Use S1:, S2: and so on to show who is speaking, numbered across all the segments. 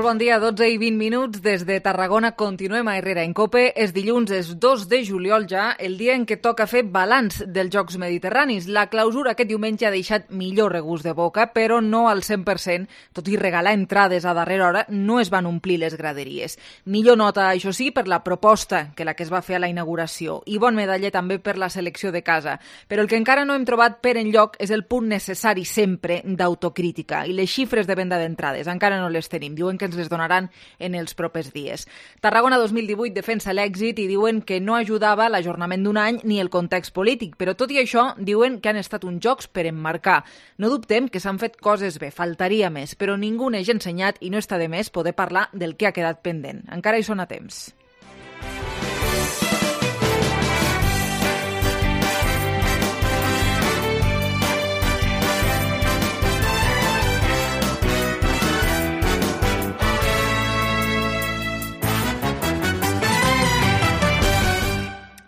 S1: Molt bon dia, 12 i 20 minuts. Des de Tarragona continuem a Herrera en Cope. És dilluns, és 2 de juliol ja, el dia en què toca fer balanç dels Jocs Mediterranis. La clausura aquest diumenge ha deixat millor regust de boca, però no al 100%. Tot i regalar entrades a darrera hora, no es van omplir les graderies. Millor nota, això sí, per la proposta que la que es va fer a la inauguració. I bon medaller també per la selecció de casa. Però el que encara no hem trobat per enlloc és el punt necessari sempre d'autocrítica. I les xifres de venda d'entrades encara no les tenim. Diuen que ens les donaran en els propers dies. Tarragona 2018 defensa l'èxit i diuen que no ajudava l'ajornament d'un any ni el context polític, però tot i això diuen que han estat uns jocs per emmarcar. No dubtem que s'han fet coses bé, faltaria més, però ningú n'eix ensenyat i no està de més poder parlar del que ha quedat pendent. Encara hi són a temps.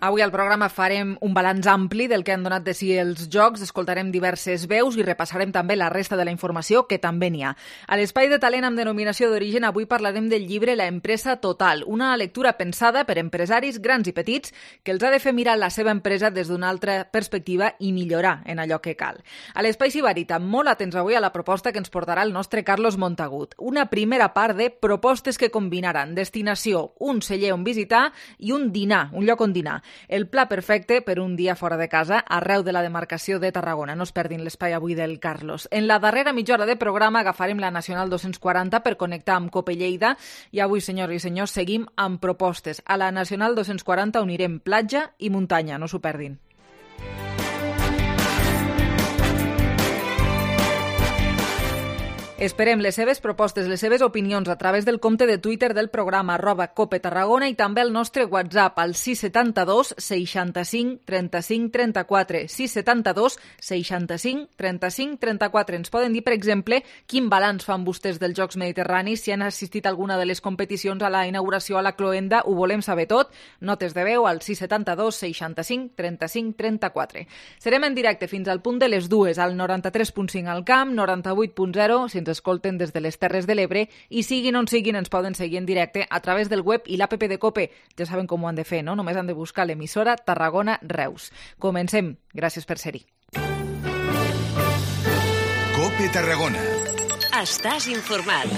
S1: Avui al programa farem un balanç ampli del que han donat de si els Jocs, escoltarem diverses veus i repassarem també la resta de la informació, que també n'hi ha. A l'Espai de Talent amb denominació d'origen avui parlarem del llibre La empresa total, una lectura pensada per empresaris grans i petits que els ha de fer mirar la seva empresa des d'una altra perspectiva i millorar en allò que cal. A l'Espai Sibarita, molt atents avui a la proposta que ens portarà el nostre Carlos Montagut. Una primera part de propostes que combinaran destinació, un celler on visitar i un dinar, un lloc on dinar. El pla perfecte per un dia fora de casa arreu de la demarcació de Tarragona. No es perdin l'espai avui del Carlos. En la darrera mitja hora de programa agafarem la Nacional 240 per connectar amb Cope Lleida i avui, senyors i senyors, seguim amb propostes. A la Nacional 240 unirem platja i muntanya, no s'ho perdin. Esperem les seves propostes, les seves opinions a través del compte de Twitter del programa @CopeTarragona i també el nostre WhatsApp al 672 65 35 34. 672 65 35 34. Ens poden dir, per exemple, quin balanç fan vostès dels Jocs Mediterranis, si han assistit a alguna de les competicions, a la inauguració, a la cloenda, ho volem saber tot. Notes de veu al 672 65 35 34. Serem en directe fins al punt de les 2 al 93.5 al Camp, 98.0 si ens escolten des de les Terres de l'Ebre i siguin on siguin ens poden seguir en directe a través del web i l'app de Cope. Ja saben com ho han de fer, no? Només han de buscar l'emissora Tarragona Reus. Comencem. Gràcies per ser-hi.
S2: Cope Tarragona.
S3: Estàs informat.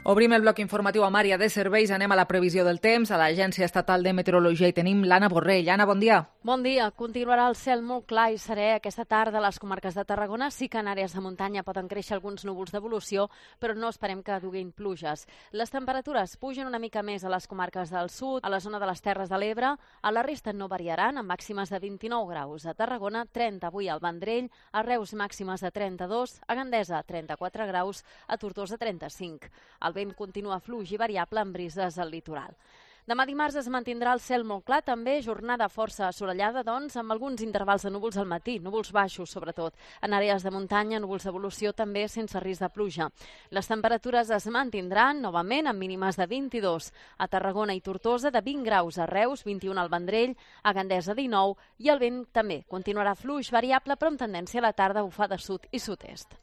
S1: Obrim el bloc informatiu amb àrea de serveis, anem a la previsió del temps, a l'Agència Estatal de Meteorologia i tenim l'Anna Borrell. Anna, bon dia.
S4: Bon dia. Continuarà el cel molt clar i serè aquesta tarda a les comarques de Tarragona. Sí que en àrees de muntanya poden créixer alguns núvols d'evolució, però no esperem que duguin pluges. Les temperatures pugen una mica més a les comarques del sud, a la zona de les Terres de l'Ebre. A la resta no variaran, amb màximes de 29 graus. A Tarragona, 30 avui al Vendrell, a Reus màximes de 32, a Gandesa 34 graus, a Tortosa 35. El vent continua fluix i variable amb brises al litoral. Demà dimarts es mantindrà el cel molt clar, també jornada força assolellada, doncs, amb alguns intervals de núvols al matí, núvols baixos sobretot. En àrees de muntanya, núvols d'evolució també sense risc de pluja. Les temperatures es mantindran novament amb mínimes de 22 a Tarragona i Tortosa, de 20 graus a Reus, 21 al Vendrell, a Gandesa 19 i el vent també continuarà fluix variable però amb tendència a la tarda a bufar de sud i sud-est.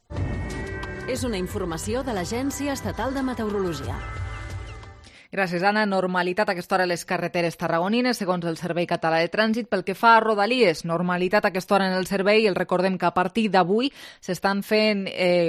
S3: És una informació de l'Agència Estatal de Meteorologia.
S1: Gràcies, Anna. Normalitat a aquesta hora a les carreteres tarragonines, segons el Servei Català de Trànsit. Pel que fa a Rodalies, normalitat a aquesta hora en el servei. El recordem que a partir d'avui s'estan fent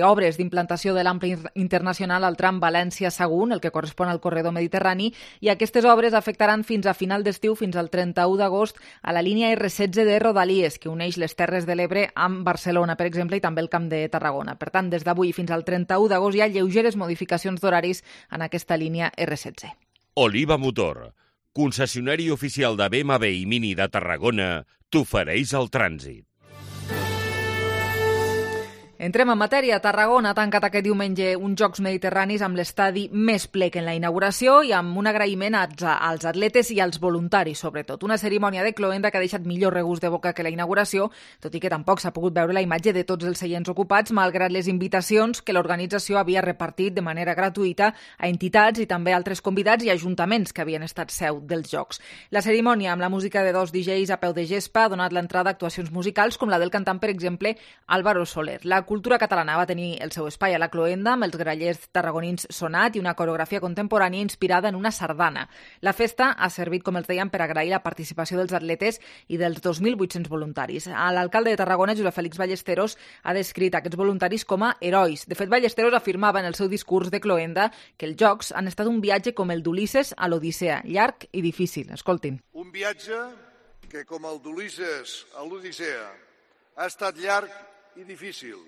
S1: obres d'implantació de l'ample internacional al tram València-Sagunt, el que correspon al corredor mediterrani, i aquestes obres afectaran fins a final d'estiu, fins al 31 d'agost, a la línia R16 de Rodalies, que uneix les Terres de l'Ebre amb Barcelona, per exemple, i també el Camp de Tarragona. Per tant, des d'avui fins al 31 d'agost hi ha lleugeres modificacions d'horaris en aquesta línia R16.
S5: Oliva Motor, concessionari oficial de BMW i Mini de Tarragona, t'ofereix el trànsit.
S1: Entrem en matèria. Tarragona ha tancat aquest diumenge uns Jocs Mediterranis amb l'estadi més ple que en la inauguració i amb un agraïment als atletes i als voluntaris, sobretot. Una cerimònia de cloenda que ha deixat millor regust de boca que la inauguració, tot i que tampoc s'ha pogut veure la imatge de tots els seients ocupats, malgrat les invitacions que l'organització havia repartit de manera gratuïta a entitats i també a altres convidats i ajuntaments que havien estat seu dels Jocs. La cerimònia, amb la música de 2 DJs a peu de gespa, ha donat l'entrada a actuacions musicals com la del cantant, per exemple, Álvaro Soler. La cultura catalana va tenir el seu espai a la cloenda amb els grallers tarragonins sonat i una coreografia contemporània inspirada en una sardana. La festa ha servit, com els dèiem, per agrair la participació dels atletes i dels 2.800 voluntaris. L'alcalde de Tarragona, Josep Félix Ballesteros, ha descrit aquests voluntaris com a herois. De fet, Ballesteros afirmava en el seu discurs de cloenda que els Jocs han estat un viatge com el d'Ulisses a l'Odissea, llarg i difícil. Escoltin.
S6: Un viatge que, com el d'Ulisses a l'Odissea, ha estat llarg i difícil.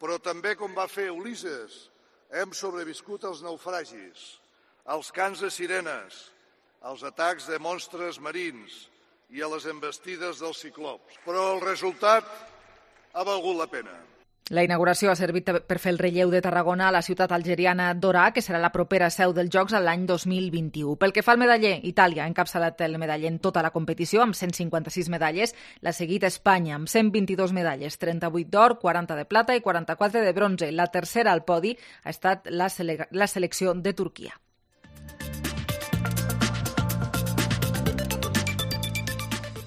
S6: Però també, com va fer Ulisses, hem sobreviscut als naufragis, als cants de sirenes, als atacs de monstres marins i a les envestides dels ciclops. Però el resultat ha valgut la pena.
S1: La inauguració ha servit per fer el relleu de Tarragona a la ciutat algeriana d'Orà, que serà la propera seu dels Jocs l'any 2021. Pel que fa al medaller, Itàlia ha encapçalat el medaller en tota la competició, amb 156 medalles. L'ha seguit Espanya, amb 122 medalles, 38 d'or, 40 de plata i 44 de bronze. La tercera al podi ha estat la selecció de Turquia.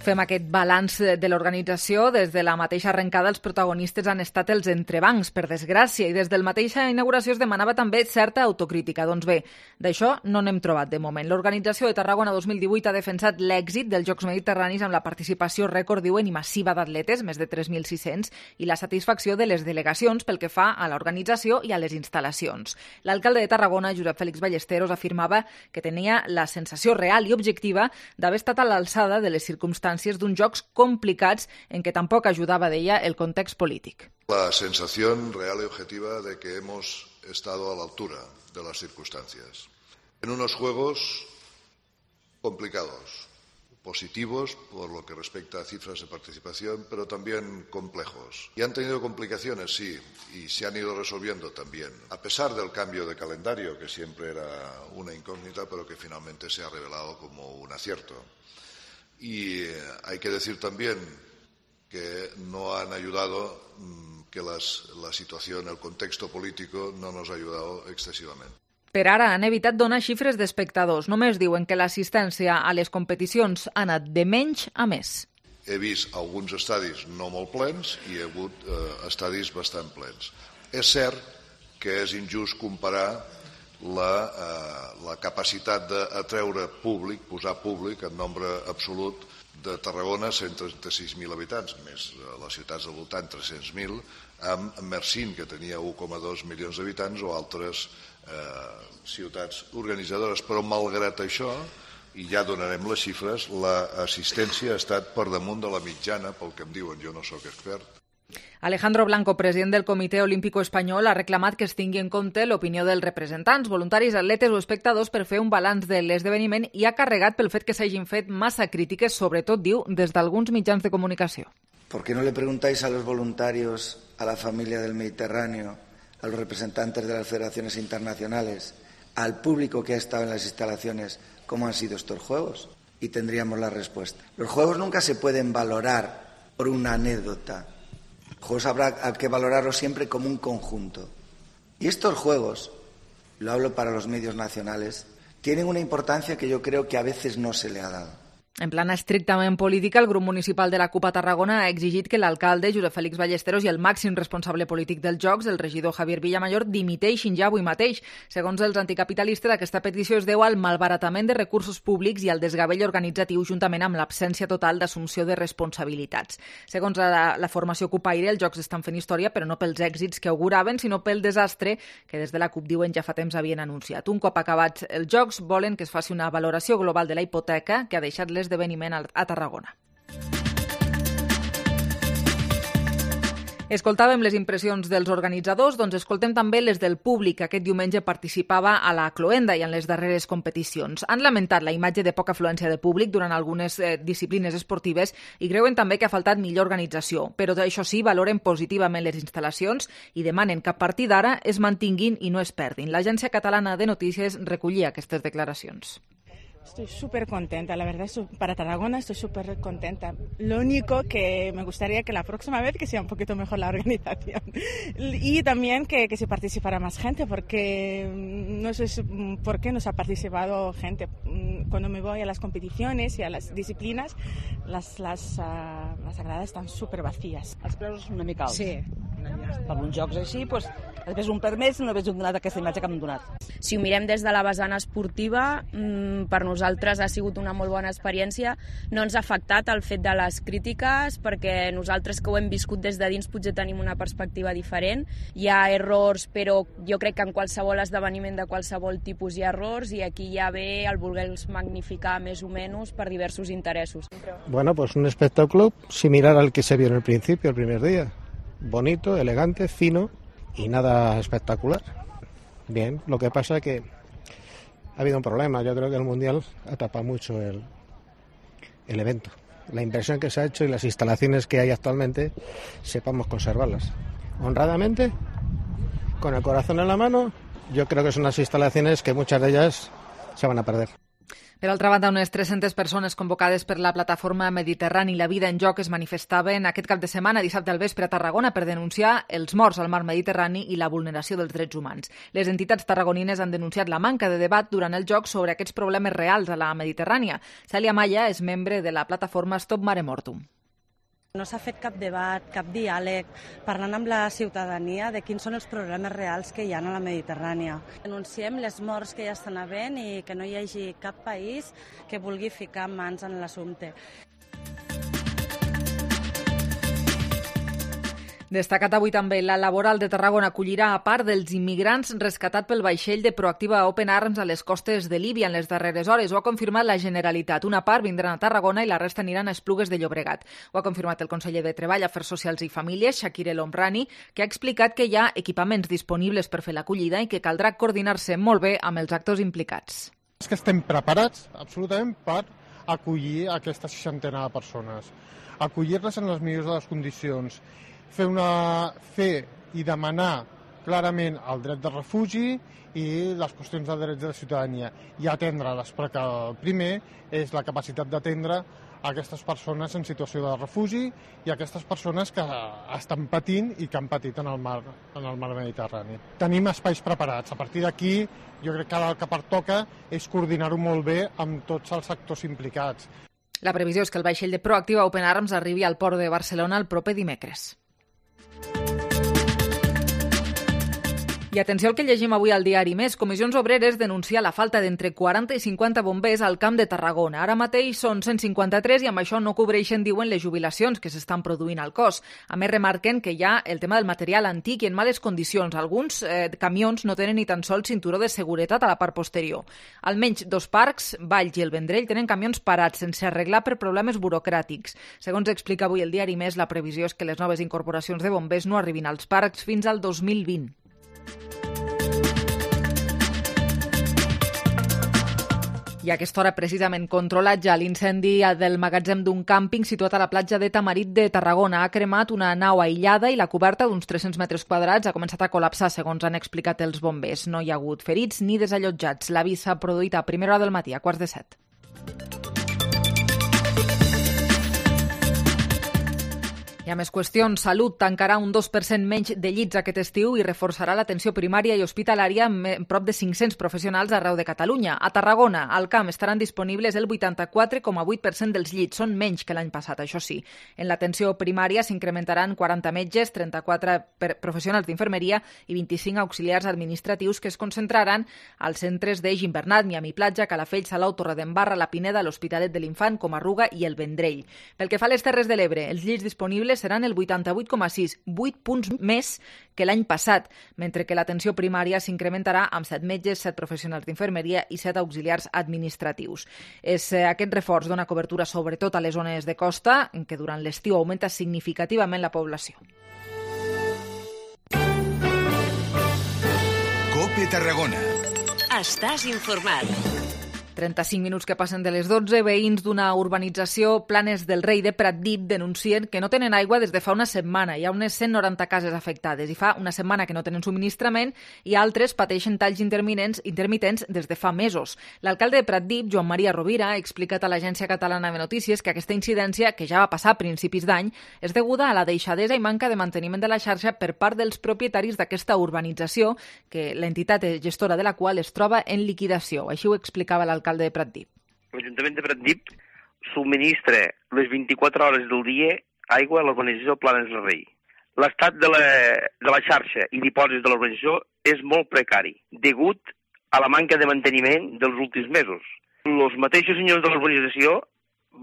S1: Fem aquest balanç de l'organització. Des de la mateixa arrencada, els protagonistes han estat els entrebancs, per desgràcia, i des de la mateixa inauguració es demanava també certa autocrítica. Doncs bé, d'això no n'hem trobat de moment. L'organització de Tarragona 2018 ha defensat l'èxit dels Jocs Mediterranis amb la participació rècord, diuen, i massiva d'atletes, més de 3.600, i la satisfacció de les delegacions pel que fa a l'organització i a les instal·lacions. L'alcalde de Tarragona, Josep Félix Ballesteros, afirmava que tenia la sensació real i objectiva d'haver estat a l'alçada de les circumstàncies d'uns jocs complicats en què tampoc ajudava, deia, el context polític.
S6: La sensación real y objetiva de que hemos estado a la altura de las circunstancias. En unos juegos complicados, positivos por lo que respecta a cifras de participación, pero también complejos. Y han tenido complicaciones, sí, y se han ido resolviendo también, a pesar del cambio de calendario, que siempre era una incógnita, pero que finalmente se ha revelado como un acierto. Y hay que decir también que no han ayudado, que la situación, el contexto político no nos ha ayudado excesivamente.
S1: Per ara han evitat donar xifres d'espectadors. Només diuen que l'assistència a les competicions ha anat de menys a més.
S6: He vist alguns estadis no molt plens i he hagut estadis bastant plens. És cert que és injust comparar la capacitat d'atreure públic, posar públic en nombre absolut de Tarragona, 136.000 habitants, més les ciutats del voltant, 300.000, amb Mersin, que tenia 1,2 milions d'habitants, o altres ciutats organitzadores. Però malgrat això, i ja donarem les xifres, l'assistència ha estat per damunt de la mitjana, pel que em diuen, jo no sóc expert.
S1: Alejandro Blanco, president del Comitè Olímpico Espanyol, ha reclamat que es tingui en compte l'opinió dels representants, voluntaris, atletes o espectadors per fer un balanç de l'esdeveniment i ha carregat pel fet que s'hagin fet massa crítiques, sobretot, diu, des d'alguns mitjans de comunicació.
S7: ¿Por qué no le preguntáis a los voluntarios, a la familia del Mediterráneo, a los representantes de las federaciones internacionales, al público que ha estado en las instalaciones, cómo han sido estos Juegos? Y tendríamos la respuesta. Los Juegos nunca se pueden valorar por una anécdota. Los Juegos habrá que valorarlos siempre como un conjunto. Y estos Juegos, lo hablo para los medios nacionales, tienen una importancia que yo creo que a veces no se le ha dado.
S1: En plana estrictament política, el grup municipal de la CUP a Tarragona ha exigit que l'alcalde, Josep Félix Ballesteros, i el màxim responsable polític dels Jocs, el regidor Javier Villamayor, dimiteixin ja avui mateix. Segons els anticapitalistes, aquesta petició es deu al malbaratament de recursos públics i al desgavell organitzatiu, juntament amb l'absència total d'assumpció de responsabilitats. Segons la formació CUPaire, els Jocs estan fent història, però no pels èxits que auguraven, sinó pel desastre que des de la CUP, diuen, ja fa temps havien anunciat. Un cop acabats els Jocs, volen que es faci una valoració global de la hipoteca que ha deixat l'esdeveniment a Tarragona. Escoltàvem les impressions dels organitzadors, doncs escoltem també les del públic que aquest diumenge participava a la Cloenda i en les darreres competicions. Han lamentat la imatge de poca afluència de públic durant algunes disciplines esportives i creuen també que ha faltat millor organització, però això sí, valoren positivament les instal·lacions i demanen que a partir d'ara es mantinguin i no es perdin. L'Agència Catalana de Notícies recollia aquestes declaracions.
S8: Estoy súper contenta, la verdad, para Tarragona estoy súper contenta. Lo único que me gustaría que la próxima vez que sea un poquito mejor la organización y también que se participara más gente, porque no sé por qué no se ha participado gente. Cuando me voy a las competiciones y a las disciplinas, las gradas están súper vacías.
S9: Els preus una mica alts.
S8: Sí.
S9: Per uns jocs així, doncs, després un per més no hagués donat aquesta imatge que m'han donat.
S10: Si ho mirem des de la vessant esportiva, per nosaltres ha sigut una molt bona experiència. No ens ha afectat el fet de les crítiques, perquè nosaltres que ho hem viscut des de dins potser tenim una perspectiva diferent. Hi ha errors, però jo crec que en qualsevol esdeveniment de qualsevol tipus hi ha errors, i aquí ja ve el voler-los magnificar més o menys per diversos interessos.
S11: Bueno, pues un espectáculo similar al que se vio en el principio, el primer día. Bonito, elegante, fino y nada espectacular. Bien, lo que pasa es que ha habido un problema. Yo creo que el Mundial ha tapado mucho el evento. La inversión que se ha hecho y las instalaciones que hay actualmente, sepamos conservarlas. Honradamente, con el corazón en la mano, yo creo que son unas instalaciones que muchas de ellas se van a perder.
S1: Per altra banda, unes 300 persones convocades per la plataforma Mediterrani La Vida en Joc es manifestaven aquest cap de setmana, dissabte al vespre a Tarragona, per denunciar els morts al mar Mediterrani i la vulneració dels drets humans. Les entitats tarragonines han denunciat la manca de debat durant el joc sobre aquests problemes reals a la Mediterrània. Cèlia Maya és membre de la plataforma Stop Mare Mortum.
S12: No s'ha fet cap debat, cap diàleg, parlant amb la ciutadania de quins són els problemes reals que hi ha a la Mediterrània. Denunciem les morts que ja estan havent i que no hi hagi cap país que vulgui ficar mans en l'assumpte.
S1: Destacat avui també, la Laboral de Tarragona acollirà a part dels immigrants rescatats pel vaixell de Proactiva Open Arms a les costes de Líbia en les darreres hores. Ho ha confirmat la Generalitat. Una part vindran a Tarragona i la resta aniran a Esplugues de Llobregat. Ho ha confirmat el conseller de Treball, Afers Socials i Famílies, Shakir El Omrani, que ha explicat que hi ha equipaments disponibles per fer l'acollida i que caldrà coordinar-se molt bé amb els actors implicats.
S13: És que estem preparats absolutament per acollir aquesta 60 de persones, acollir-les en les millors de les condicions, fer i demanar clarament el dret de refugi i les qüestions de drets de la ciutadania i atendre-les, perquè el primer és la capacitat d'atendre aquestes persones en situació de refugi i aquestes persones que estan patint i que han patit en el mar Mediterrani. Tenim espais preparats. A partir d'aquí, jo crec que el que pertoca és coordinar-ho molt bé amb tots els sectors implicats.
S1: La previsió és que el vaixell de Proactiva Open Arms arribi al port de Barcelona el proper dimecres. I atenció al que llegim avui al diari Més. Comissions Obreres denuncia la falta d'entre 40 i 50 bombers al Camp de Tarragona. Ara mateix són 153 i amb això no cobreixen, diuen, les jubilacions que s'estan produint al cos. A més, remarquen que hi ha el tema del material antic i en males condicions. Alguns camions no tenen ni tan sols cinturó de seguretat a la part posterior. Almenys 2 parcs, Valls i el Vendrell, tenen camions parats sense arreglar per problemes burocràtics. Segons explica avui el diari Més, la previsió és que les noves incorporacions de bombers no arribin als parcs fins al 2020. I a aquesta hora, precisament, controlat ja l'incendi del magatzem d'un càmping situat a la platja de Tamarit de Tarragona. Ha cremat una nau aïllada i la coberta d'uns 300 metres quadrats ha començat a col·lapsar, segons han explicat els bombers. No hi ha hagut ferits ni desallotjats. L'avís s'ha produït a primera hora del matí, a 6:45. Hi ha més qüestions. Salut tancarà un 2% menys de llits aquest estiu i reforçarà l'atenció primària i hospitalària amb prop de 500 professionals arreu de Catalunya. A Tarragona, al camp, estaran disponibles el 84,8% dels llits. Són menys que l'any passat, això sí. En l'atenció primària s'incrementaran 40 metges, 34 professionals d'infermeria i 25 auxiliars administratius que es concentraran als centres d'Eix Invernat, Miami Platja, Calafell, Salou, Torredembarra, La Pineda, l'Hospitalet de l'Infant, Comarruga i el Vendrell. Pel que fa a les Terres de l'Ebre, els llits disponibles seran el 88,6, 8 punts més que l'any passat, mentre que l'atenció primària s'incrementarà amb 7 metges, 7 professionals d'infermeria i 7 auxiliars administratius. Aquest reforç dona cobertura sobretot a les zones de costa, en què durant l'estiu augmenta significativament la població.
S2: COPE Tarragona.
S3: Estàs informat.
S1: 35 minuts que passen de les 12, veïns d'una urbanització Planes del Rei de Pratdip denuncien que no tenen aigua des de fa una setmana. Hi ha unes 190 cases afectades i fa una setmana que no tenen subministrament i altres pateixen talls intermitents des de fa mesos. L'alcalde de Pratdip, Joan Maria Rovira, ha explicat a l'Agència Catalana de Notícies que aquesta incidència, que ja va passar a principis d'any, és deguda a la deixadesa i manca de manteniment de la xarxa per part dels propietaris d'aquesta urbanització, que l'entitat gestora de la qual es troba en liquidació. Així ho explicava l'alcalde de Pratdip.
S14: L'Ajuntament de Pratdip subministra les 24 hores del dia aigua a l'urbanització Planes del Rei. L'estat de la xarxa i dipòsits de l'urbanització és molt precari, degut a la manca de manteniment dels últims mesos. Els mateixos senyors de l'urbanització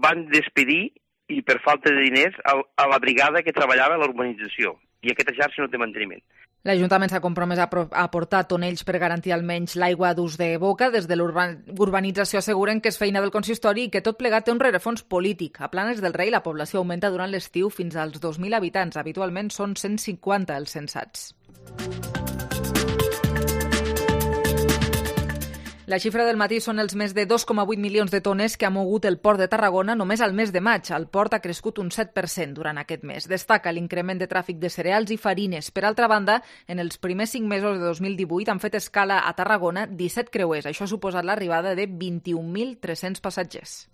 S14: van despedir, i per falta de diners, a la brigada que treballava a l'urbanització, i aquesta xarxa no té manteniment.
S1: L'Ajuntament s'ha compromès a aportar tonells per garantir almenys l'aigua d'ús de boca. Des de l'urbanització asseguren que és feina del consistori i que tot plegat té un rerefons polític. A Planes del Rei la població augmenta durant l'estiu fins als 2.000 habitants. Habitualment són 150 els censats. La xifra del matí són els més de 2,8 milions de tones que ha mogut el port de Tarragona només al mes de maig. El port ha crescut un 7% durant aquest mes. Destaca l'increment de tràfic de cereals i farines. Per altra banda, en els primers 5 mesos de 2018 han fet escala a Tarragona 17 creuers. Això ha suposat l'arribada de 21.300 passatgers.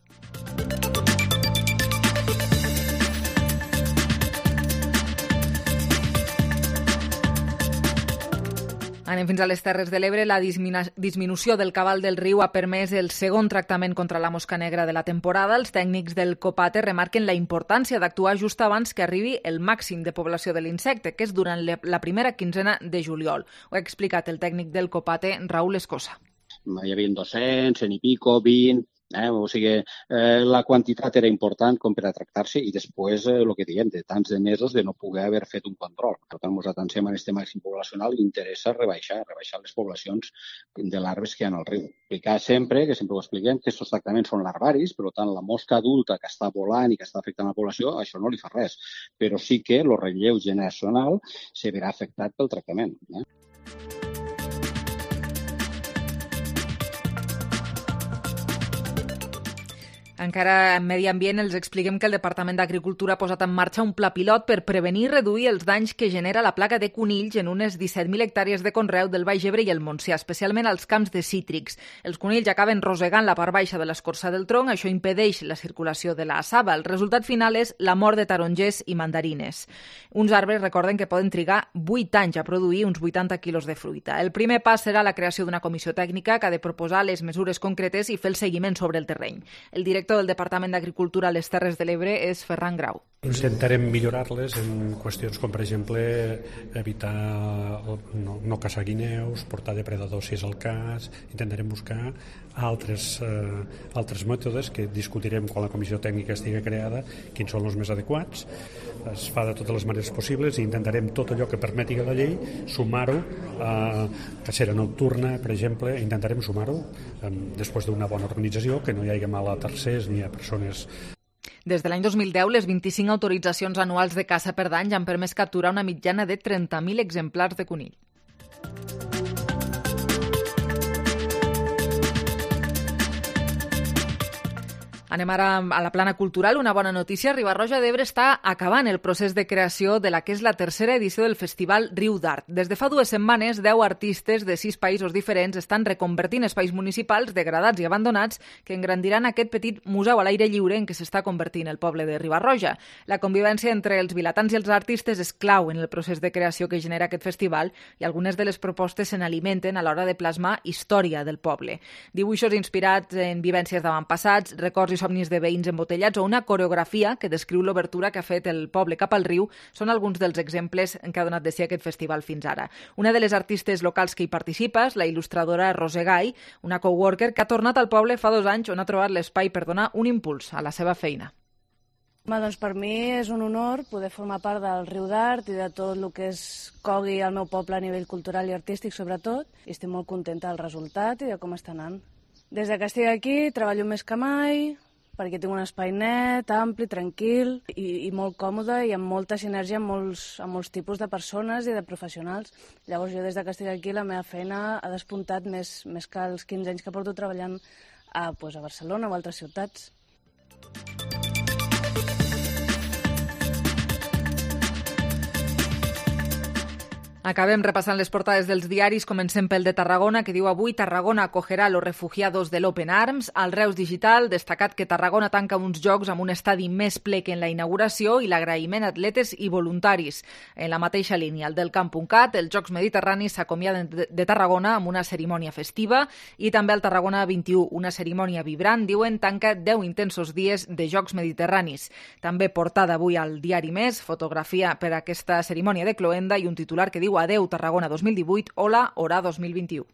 S1: Anem fins a les Terres de l'Ebre. La disminució del cabal del riu ha permès el segon tractament contra la mosca negra de la temporada. Els tècnics del COPATE remarquen la importància d'actuar just abans que arribi el màxim de població de l'insecte, que és durant la primera quinzena de juliol. Ho ha explicat el tècnic del COPATE, Raúl Escosa.
S15: Hi havia 200, 100 i pico, 20... O sigui, la quantitat era important com per a tractar-se i després el que diem, de tants de mesos de no poder haver fet un control. Per tant, nosaltres pensem en aquest màxim poblacional i interessa rebaixar les poblacions de larves que hi ha al riu. Explicar sempre, que sempre ho expliquem, que aquests tractaments són larvaris, per tant, la mosca adulta que està volant i que està afectant la població, això no li fa res. Però sí que el relleu generacional se verà afectat pel tractament.
S1: Encara en medi ambient els expliquem que el Departament d'Agricultura ha posat en marxa un pla pilot per prevenir i reduir els danys que genera la plaga de conills en unes 17.000 hectàrees de conreu del Baix Ebre i el Montsià, especialment als camps de cítrics. Els conills acaben rosegant la part baixa de l'escorça del tronc, això impedeix la circulació de la saba. El resultat final és la mort de tarongers i mandarines. Uns arbres, recorden, que poden trigar 8 anys a produir uns 80 quilos de fruita. El primer pas serà la creació d'una comissió tècnica que ha de proposar les mesures concretes i fer el seguiment sobre el terreny. El director del Departament d'Agricultura a les Terres de l'Ebre és Ferran Grau.
S16: Intentarem millorar-les en qüestions com, per exemple, evitar no caçar guineus, portar depredadors si és el cas. Intentarem buscar altres mètodes que discutirem quan la comissió tècnica estigui creada, quins són els més adequats. Es fa de totes les maneres possibles i intentarem tot allò que permeti la llei sumar-ho a cacera nocturna, per exemple, intentarem sumar-ho després d'una bona organització, que no hi hagi mal a tercers ni a persones.
S1: Des de l'any 2010, les 25 autoritzacions anuals de caça per danys han permès capturar una mitjana de 30.000 exemplars de conill. Anem ara a la plana cultural. Una bona notícia. Riba-roja d'Ebre està acabant el procés de creació de la que és la tercera edició del Festival Riu d'Art. Des de fa 2 setmanes, 10 artistes de 6 països diferents estan reconvertint espais municipals degradats i abandonats que engrandiran aquest petit museu a l'aire lliure en què s'està convertint el poble de Riba-roja. La convivència entre els vilatans i els artistes és clau en el procés de creació que genera aquest festival i algunes de les propostes se n'alimenten a l'hora de plasmar història del poble. Dibuixos inspirats en vivències d'avantpassats, records i somnis de veïns embotellats o una coreografia que descriu l'obertura que ha fet el poble cap al riu són alguns dels exemples en què ha donat de si aquest festival fins ara. Una de les artistes locals que hi participa és la il·lustradora Roser Gai, una coworker que ha tornat al poble fa 2 anys on ha trobat l'espai per donar un impuls a la seva feina.
S17: Doncs per mi és un honor poder formar part del Riu d'Art i de tot el que es cogui al meu poble a nivell cultural i artístic sobretot, i estic molt contenta del resultat i de com està anant. Des que estic aquí treballo més que mai, perquè tinc un espai net, ampli, tranquil i molt còmode i amb molta sinergia amb molts tipus de persones i de professionals. Llavors jo des que estic aquí la meva feina ha despuntat més que els 15 anys que porto treballant a Barcelona o altres ciutats.
S1: Acabem repassant les portades dels diaris. Comencem pel de Tarragona, que diu avui Tarragona acogerà los refugiados de l'Open Arms. Al Reus Digital, destacat que Tarragona tanca uns jocs amb un estadi més ple que en la inauguració i l'agraïment a atletes i voluntaris. En la mateixa línia, el del Camp.cat, els Jocs Mediterranis s'acomiaden de Tarragona amb una cerimònia festiva i també al Tarragona 21, una cerimònia vibrant, diuen, tanca 10 intensos dies de Jocs Mediterranis. També portada avui al diari Més, fotografia per aquesta cerimònia de cloenda i un titular que diu Adeu Tarragona 2018, hola Orà 2021.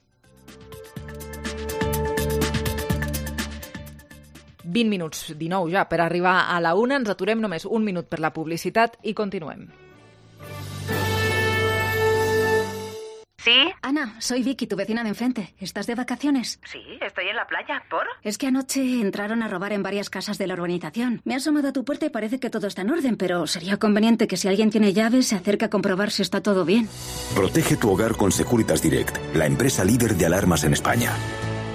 S1: 20 minuts, 19 ja, per arribar a la 1. Ens aturem només un minut per la publicitat i continuem.
S18: ¿Sí? Ana, soy Vicky, tu vecina de enfrente. ¿Estás de vacaciones?
S19: Sí, estoy en la playa. ¿Por?
S18: Es que anoche entraron a robar en varias casas de la urbanización. Me he asomado a tu puerta y parece que todo está en orden, pero sería conveniente que si alguien tiene llaves se acerque a comprobar si está todo bien.
S20: Protege tu hogar con Securitas Direct, la empresa líder de alarmas en España.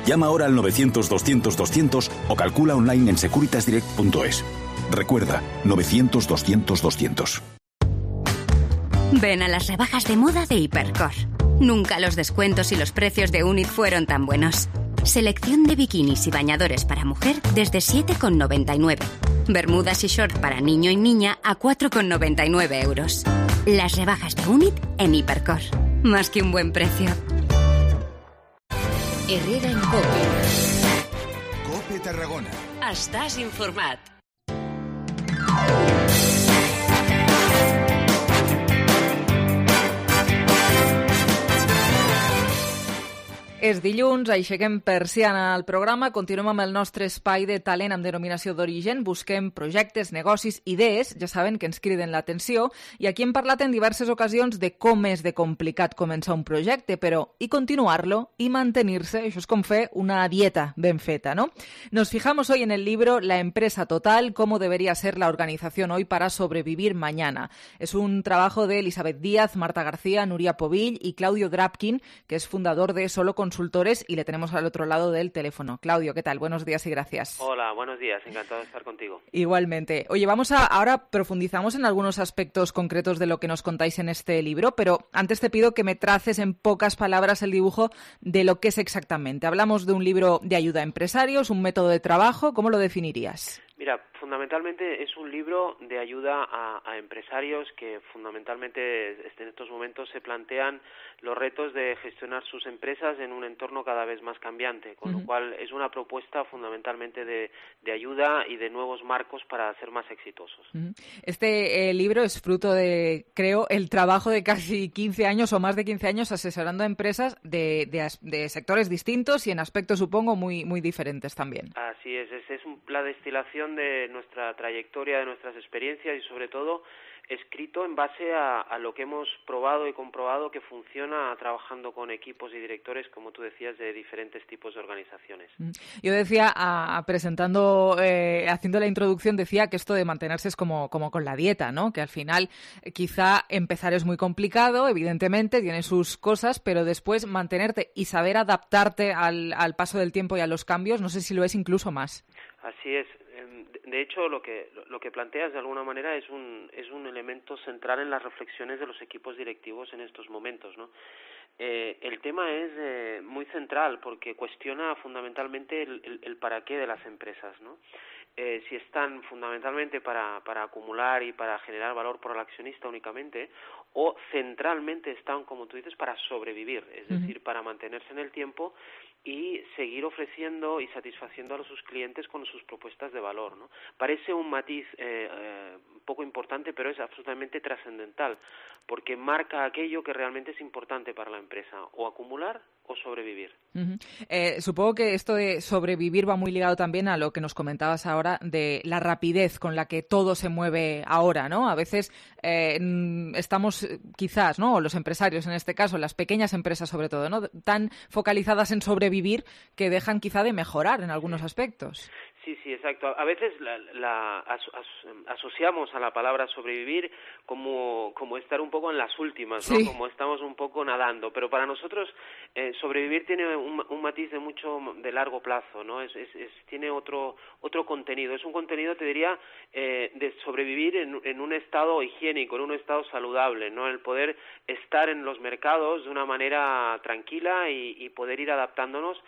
S20: Llama ahora al 900-200-200 o calcula online en securitasdirect.es. Recuerda, 900-200-200.
S21: Ven a las rebajas de moda de Hipercor. Nunca los descuentos y los precios de Unit fueron tan buenos. Selección de bikinis y bañadores para mujer desde 7,99. Bermudas y short para niño y niña a 4,99 euros. Las rebajas de Unit en Hipercor. Más que un buen precio.
S3: Herrera en COPE.
S2: COPE Tarragona.
S3: Estàs informat.
S1: És dilluns, aixequem persiana al programa, continuem amb el nostre espai de talent amb denominació d'origen, busquem projectes, negocis, idees, ja saben que ens criden l'atenció, i aquí hem parlat en diverses ocasions de com és de complicat començar un projecte, però i continuar-lo i mantenir-se, això és com fer una dieta ben feta, ¿no? Nos fijamos hoy en el libro La empresa total, cómo debería ser la organización hoy para sobrevivir mañana. Es un trabajo de Elizabeth Díaz, Marta García, Nuria Povill y Claudio Drapkin, que es fundador de Solo Consultores, y le tenemos al otro lado del teléfono. Claudio, ¿qué tal? Buenos días y gracias.
S22: Hola, buenos días. Encantado de estar contigo.
S1: Igualmente. Oye, ahora profundizamos en algunos aspectos concretos de lo que nos contáis en este libro, pero antes te pido que me traces en pocas palabras el dibujo de lo que es exactamente. Hablamos de un libro de ayuda a empresarios, un método de trabajo. ¿Cómo lo definirías?
S22: Mira, fundamentalmente es un libro de ayuda a empresarios que fundamentalmente en estos momentos se plantean los retos de gestionar sus empresas en un entorno cada vez más cambiante, con lo cual es una propuesta fundamentalmente de ayuda y de nuevos marcos para ser más exitosos.
S1: Este libro es fruto de, creo, el trabajo de casi 15 años o más de 15 años asesorando a empresas de sectores distintos y en aspectos, supongo, muy, muy diferentes también.
S22: Así es la destilación de nuestra trayectoria, de nuestras experiencias y sobre todo escrito en base a lo que hemos probado y comprobado que funciona trabajando con equipos y directores, como tú decías, de diferentes tipos de organizaciones.
S1: Yo decía, presentando, haciendo la introducción, decía que esto de mantenerse es como con la dieta, ¿no? Que al final quizá empezar es muy complicado, evidentemente, tiene sus cosas, pero después mantenerte y saber adaptarte al paso del tiempo y a los cambios, no sé si lo es incluso más.
S22: Así es. De hecho, lo que planteas de alguna manera es un elemento central en las reflexiones de los equipos directivos en estos momentos, ¿no? El tema es muy central porque cuestiona fundamentalmente el para qué de las empresas, ¿no? Si están fundamentalmente para acumular y para generar valor por el accionista únicamente, o centralmente están, como tú dices, para sobrevivir, es decir, para mantenerse en el tiempo y seguir ofreciendo y satisfaciendo a sus clientes con sus propuestas de valor, ¿no? Parece un matiz poco importante, pero es absolutamente trascendental, porque marca aquello que realmente es importante para la empresa, o acumular o sobrevivir.
S1: Supongo que esto de sobrevivir va muy ligado también a lo que nos comentabas ahora de la rapidez con la que todo se mueve ahora, ¿no? A veces estamos quizás, ¿no? O los empresarios en este caso, las pequeñas empresas sobre todo, ¿no? Tan focalizadas en sobrevivir que dejan quizá de mejorar en algunos aspectos.
S22: Sí, exacto. A veces asociamos a la palabra sobrevivir como estar un poco en las últimas, ¿no?
S1: Sí.
S22: Como estamos un poco nadando, pero para nosotros sobrevivir tiene un matiz de largo plazo, ¿no? Tiene otro contenido. Es un contenido, te diría, de sobrevivir en un estado higiénico, en un estado saludable, ¿no? El poder estar en los mercados de una manera tranquila y poder ir adaptándonos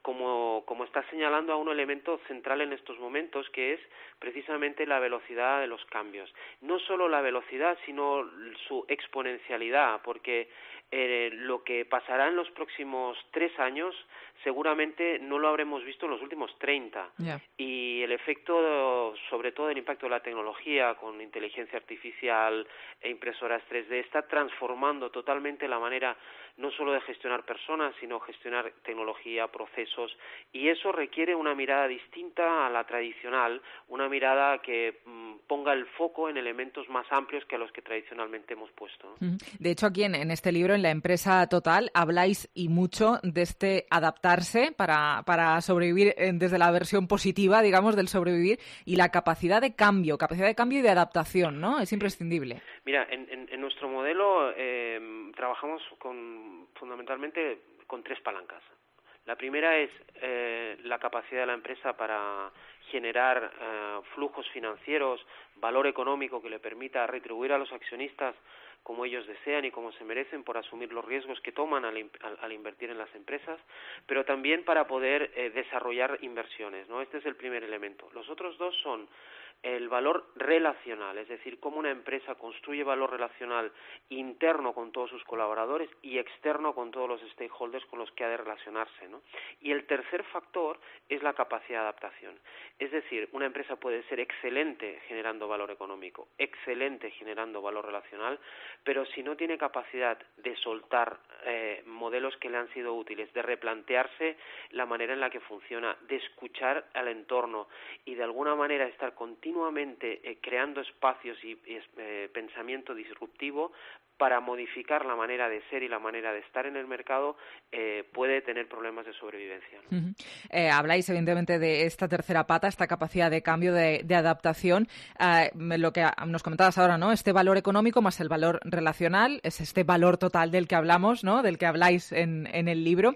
S22: como está señalando a un elemento central en estos momentos, que es precisamente la velocidad de los cambios. No solo la velocidad, sino su exponencialidad, porque lo que pasará en los próximos 3 años seguramente no lo habremos visto en los últimos 30.
S1: Yeah.
S22: Y el efecto, sobre todo el impacto de la tecnología con inteligencia artificial e impresoras 3D, está transformando totalmente la manera no solo de gestionar personas, sino gestionar tecnología, procesos, y eso requiere una mirada distinta a la tradicional, una mirada que ponga el foco en elementos más amplios que a los que tradicionalmente hemos puesto, ¿no?
S1: De hecho, aquí en este libro, en La Empresa Total, habláis y mucho de este adaptarse para sobrevivir desde la versión positiva, digamos, del sobrevivir, y la capacidad de cambio y de adaptación, ¿no? Es imprescindible.
S22: Mira, en nuestro modelo trabajamos fundamentalmente con 3 palancas. La primera es la capacidad de la empresa para generar flujos financieros, valor económico que le permita retribuir a los accionistas como ellos desean y como se merecen por asumir los riesgos que toman al invertir en las empresas, pero también para poder desarrollar inversiones, ¿no? Este es el primer elemento. Los otros 2 son el valor relacional, es decir, cómo una empresa construye valor relacional interno con todos sus colaboradores y externo con todos los stakeholders con los que ha de relacionarse, ¿no? Y el tercer factor es la capacidad de adaptación. Es decir, una empresa puede ser excelente generando valor económico, excelente generando valor relacional, pero si no tiene capacidad de soltar modelos que le han sido útiles, de replantearse la manera en la que funciona, de escuchar al entorno y de alguna manera estar continuamente creando espacios y pensamiento disruptivo para modificar la manera de ser y la manera de estar en el mercado, puede tener problemas de sobrevivencia, ¿no?
S1: Habláis, evidentemente, de esta tercera pata, esta capacidad de cambio, de adaptación. Lo que nos comentabas ahora, ¿no? Este valor económico más el valor relacional, es este valor total del que hablamos, ¿no? Del que habláis en el libro.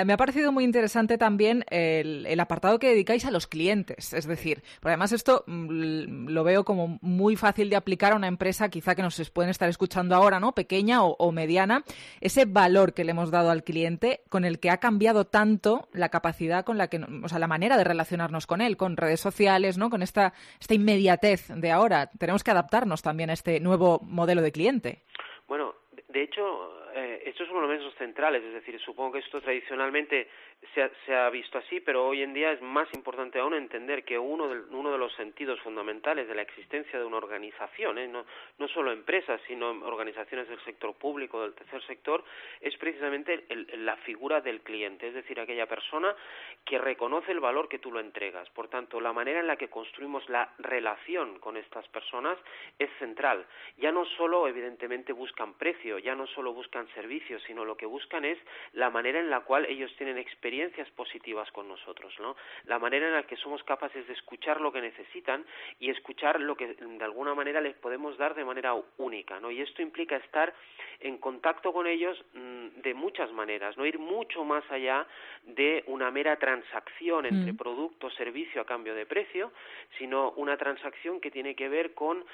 S1: Me ha parecido muy interesante también el apartado que dedicáis a los clientes. Es decir, porque además esto lo veo como muy fácil de aplicar a una empresa, quizá que nos pueden estar escuchando ahora, ¿no? Pequeña o mediana, ese valor que le hemos dado al cliente, con el que ha cambiado tanto la capacidad con la que, o sea, la manera de relacionarnos con él, con redes sociales, ¿no? Con esta inmediatez de ahora. Tenemos que adaptarnos también a este nuevo modelo de cliente.
S22: Bueno, de hecho, estos son los elementos centrales, es decir, supongo que esto tradicionalmente se ha visto así, pero hoy en día es más importante aún entender que uno de los sentidos fundamentales de la existencia de una organización, no solo empresas, sino organizaciones del sector público, del tercer sector, es precisamente la figura del cliente, es decir, aquella persona que reconoce el valor que tú lo entregas. Por tanto, la manera en la que construimos la relación con estas personas es central. Ya no solo, evidentemente, buscan precio, ya no solo buscan servicios, sino lo que buscan es la manera en la cual ellos tienen experiencias positivas con nosotros, ¿no? La manera en la que somos capaces de escuchar lo que necesitan y escuchar lo que de alguna manera les podemos dar de manera única, ¿no? Y esto implica estar en contacto con ellos de muchas maneras, no ir mucho más allá de una mera transacción entre producto, servicio a cambio de precio, sino una transacción que tiene que ver con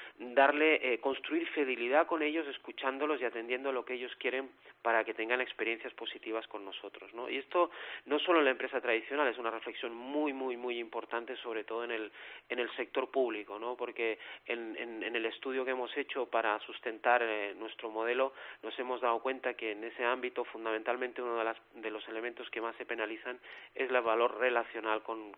S22: construir fidelidad con ellos, escuchándolos y atendiendo lo que ellos quieren para que tengan experiencias positivas con nosotros, ¿no? Y esto no solo en la empresa tradicional, es una reflexión muy, muy, muy importante, sobre todo en el sector público, ¿no? Porque en el estudio que hemos hecho para sustentar nuestro modelo, nos hemos dado cuenta que en ese ámbito, fundamentalmente, uno de los elementos que más se penalizan es el valor relacional con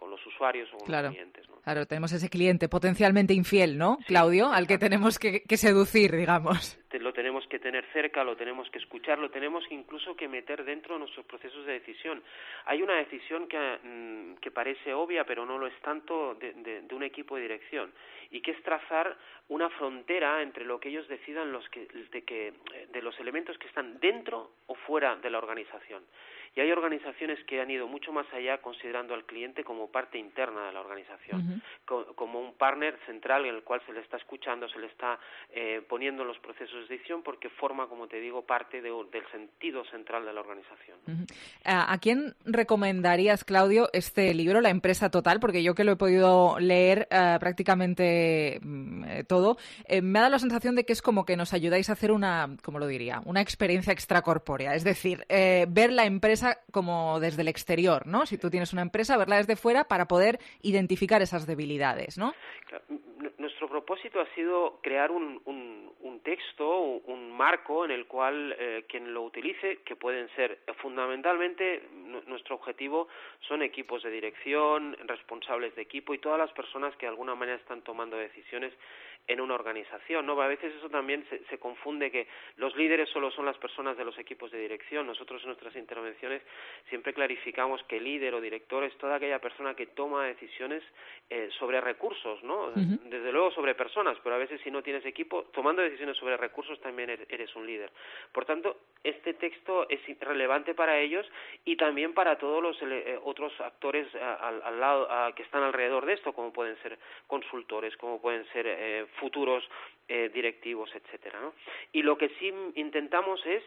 S22: los usuarios o con los clientes, ¿no?
S1: Claro, tenemos ese cliente potencialmente infiel, ¿no, sí, Claudio? Al que tenemos que seducir, digamos.
S22: Lo tenemos que tener cerca, lo tenemos que escuchar, lo tenemos incluso que meter dentro de nuestros procesos de decisión. Hay una decisión que parece obvia, pero no lo es tanto, de un equipo de dirección, y que es trazar una frontera entre lo que ellos decidan de los elementos que están dentro o fuera de la organización. Y hay organizaciones que han ido mucho más allá, considerando al cliente como parte interna de la organización, como un partner central en el cual se le está escuchando, se le está poniendo en los procesos de decisión, porque forma, como te digo, parte del sentido central de la organización.
S1: ¿A quién recomendarías, Claudio, este libro, La empresa total? Porque yo que lo he podido leer prácticamente todo, me ha dado la sensación de que es como que nos ayudáis a hacer una experiencia extracorpórea, es decir, ver la empresa como desde el exterior, ¿no? Si tú tienes una empresa, verla desde fuera para poder identificar esas debilidades, ¿no?
S22: Claro. Nuestro propósito ha sido crear un texto, un marco en el cual quien lo utilice, que pueden ser fundamentalmente, nuestro objetivo son equipos de dirección, responsables de equipo y todas las personas que de alguna manera están tomando decisiones en una organización, ¿no? A veces eso también se confunde, que los líderes solo son las personas de los equipos de dirección. Nosotros en nuestras intervenciones siempre clarificamos que líder o director es toda aquella persona que toma decisiones sobre recursos, ¿no? Desde luego sobre personas, pero a veces si no tienes equipo, tomando decisiones sobre recursos también eres un líder. Por tanto, este texto es relevante para ellos y también para todos los otros actores al lado que están alrededor de esto, como pueden ser consultores, como pueden ser futuros directivos, etcétera, ¿no? Y lo que sí intentamos es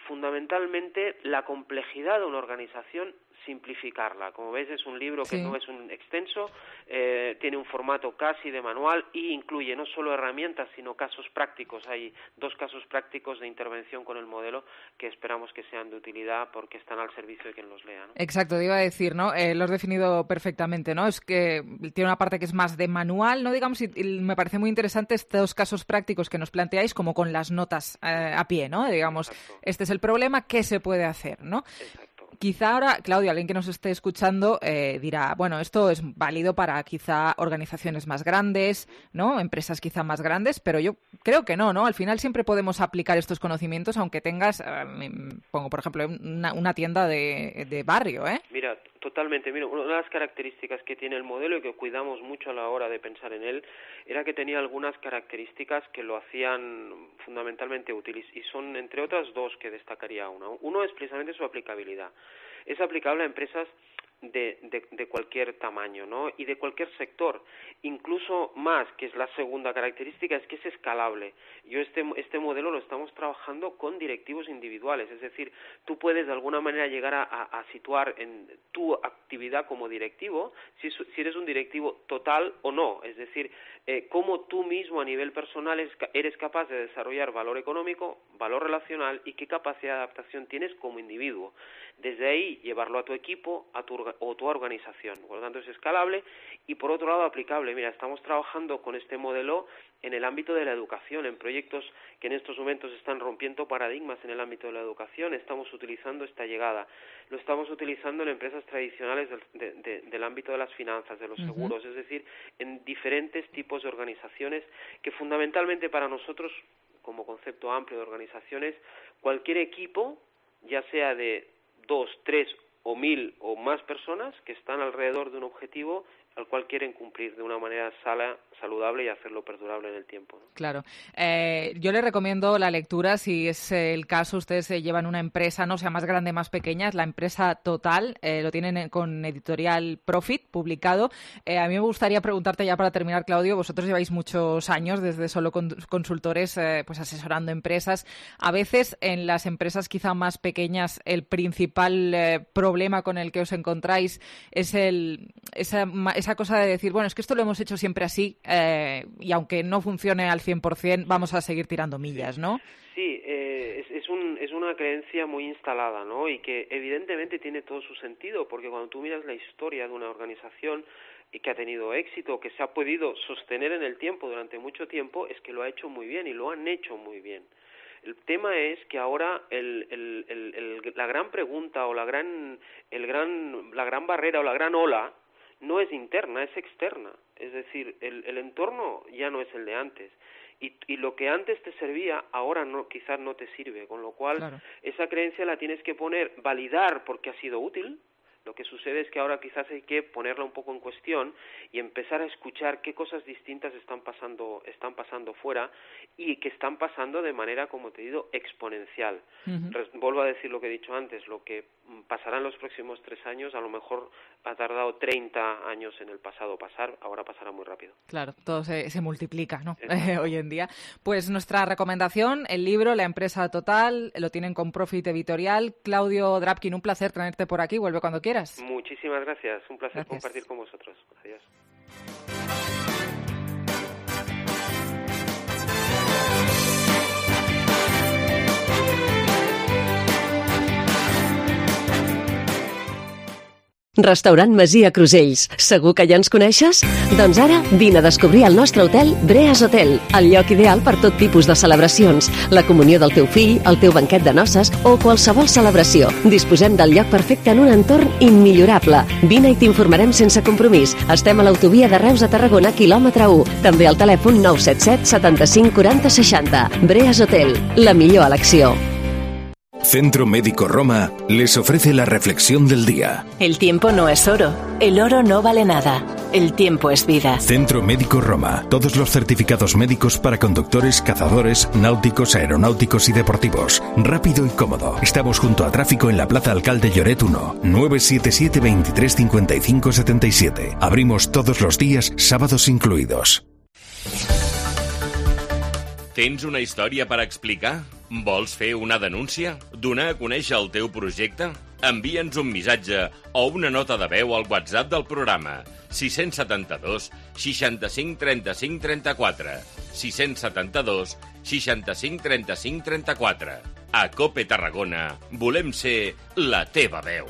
S22: fundamentalmente la complejidad de una organización, simplificarla. Como ves, es un libro que no es un extenso, tiene un formato casi de manual y incluye no solo herramientas, sino casos prácticos. Hay 2 casos prácticos de intervención con el modelo que esperamos que sean de utilidad porque están al servicio de quien los lea, ¿no?
S1: Exacto, te iba a decir, ¿no? Lo has definido perfectamente, ¿no? Es que tiene una parte que es más de manual, ¿no? Digamos, y me parece muy interesante estos casos prácticos que nos planteáis como con las notas a pie, ¿no? Digamos, este es el problema, ¿qué se puede hacer, ¿no?
S22: Exacto.
S1: Quizá ahora, Claudio, alguien que nos esté escuchando dirá, bueno, esto es válido para quizá organizaciones más grandes, ¿no? Empresas quizá más grandes, pero yo creo que no, ¿no? Al final siempre podemos aplicar estos conocimientos aunque tengas, pongo por ejemplo, una tienda de barrio, ¿eh?
S22: Mira, totalmente. Mira, una de las características que tiene el modelo y que cuidamos mucho a la hora de pensar en él era que tenía algunas características que lo hacían fundamentalmente útiles y son, entre otras, 2 que destacaría una. Uno es precisamente su aplicabilidad. Es aplicable a empresas de cualquier tamaño, ¿no? Y de cualquier sector. Incluso más, que es la segunda característica, es que es escalable. Yo este modelo lo estamos trabajando con directivos individuales, es decir, tú puedes de alguna manera llegar a situar en tu actividad como directivo, si eres un directivo total o no, es decir, cómo tú mismo a nivel personal eres capaz de desarrollar valor económico, valor relacional y qué capacidad de adaptación tienes como individuo. Desde ahí llevarlo a tu equipo o tu organización. Por lo tanto, es escalable y, por otro lado, aplicable. Mira, estamos trabajando con este modelo en el ámbito de la educación, en proyectos que en estos momentos están rompiendo paradigmas en el ámbito de la educación. Estamos utilizando esta llegada. Lo estamos utilizando en empresas tradicionales del ámbito de las finanzas, de los seguros, es decir, en diferentes tipos de organizaciones que fundamentalmente para nosotros, como concepto amplio de organizaciones, cualquier equipo, ya sea de 2, 3 o 1000 o más personas que están alrededor de un objetivo al cual quieren cumplir de una manera saludable y hacerlo perdurable en el tiempo, ¿no?
S1: Claro. Yo le recomiendo la lectura, si es el caso, ustedes se llevan una empresa, no sea más grande, más pequeña, es La empresa total, lo tienen con editorial Profit, publicado. A mí me gustaría preguntarte ya para terminar, Claudio, vosotros lleváis muchos años desde solo consultores pues asesorando empresas. A veces en las empresas quizá más pequeñas el principal problema con el que os encontráis es esa cosa de decir, bueno, es que esto lo hemos hecho siempre así y aunque no funcione al 100%, vamos a seguir tirando millas, ¿no?
S22: Sí, es una creencia muy instalada, ¿no? Y que evidentemente tiene todo su sentido, porque cuando tú miras la historia de una organización y que ha tenido éxito, que se ha podido sostener en el tiempo durante mucho tiempo, es que lo ha hecho muy bien y lo han hecho muy bien. El tema es que ahora la gran pregunta o la gran barrera o la gran ola no es interna, es externa. Es decir, el entorno ya no es el de antes. Y lo que antes te servía, ahora no, quizás no te sirve. Con lo cual, esa creencia la tienes que validar porque ha sido útil, Lo que sucede es que ahora quizás hay que ponerla un poco en cuestión y empezar a escuchar qué cosas distintas están pasando fuera y que están pasando de manera, como te digo, exponencial. Vuelvo a decir lo que he dicho antes, lo que pasará en los próximos 3 años, a lo mejor ha tardado 30 años en el pasado pasar, ahora pasará muy rápido.
S1: Claro, todo se multiplica, ¿no? Hoy en día. Pues nuestra recomendación, el libro La empresa total, lo tienen con Profit Editorial. Claudio Drapkin, un placer tenerte por aquí, vuelve cuando quieras.
S22: Muchísimas gracias, un placer compartir con vosotros. Adiós.
S4: Restaurant Masia Crusells. Segur que ja ens coneixes? Doncs ara vine a descobrir el nostre hotel Breas Hotel, el lloc ideal per tot tipus de celebracions, la comunió del teu fill, el teu banquet de noces o qualsevol celebració. Disposem del lloc perfecte en un entorn immillorable. Vine i t'informarem sense compromís. Estem a l'autovia de Reus a Tarragona, quilòmetre 1. També al telèfon 977 75 40 60. Breas Hotel, la millor elecció.
S5: Centro Médico Roma les ofrece la reflexión del día.
S23: El tiempo no es oro. El oro no vale nada. El tiempo es vida.
S5: Centro Médico Roma. Todos los certificados médicos para conductores, cazadores, náuticos, aeronáuticos y deportivos. Rápido y cómodo. Estamos junto a tráfico en la Plaza Alcalde Lloret 1. 977 23 55 77. Abrimos todos los días, sábados incluidos.
S24: Tens una història per explicar? Vols fer una denúncia? Donar a conèixer el teu projecte? Envia'ns un missatge o una nota de veu al WhatsApp del programa 672 65 35 34 672 65 35 34. A COPE Tarragona volem ser la teva veu.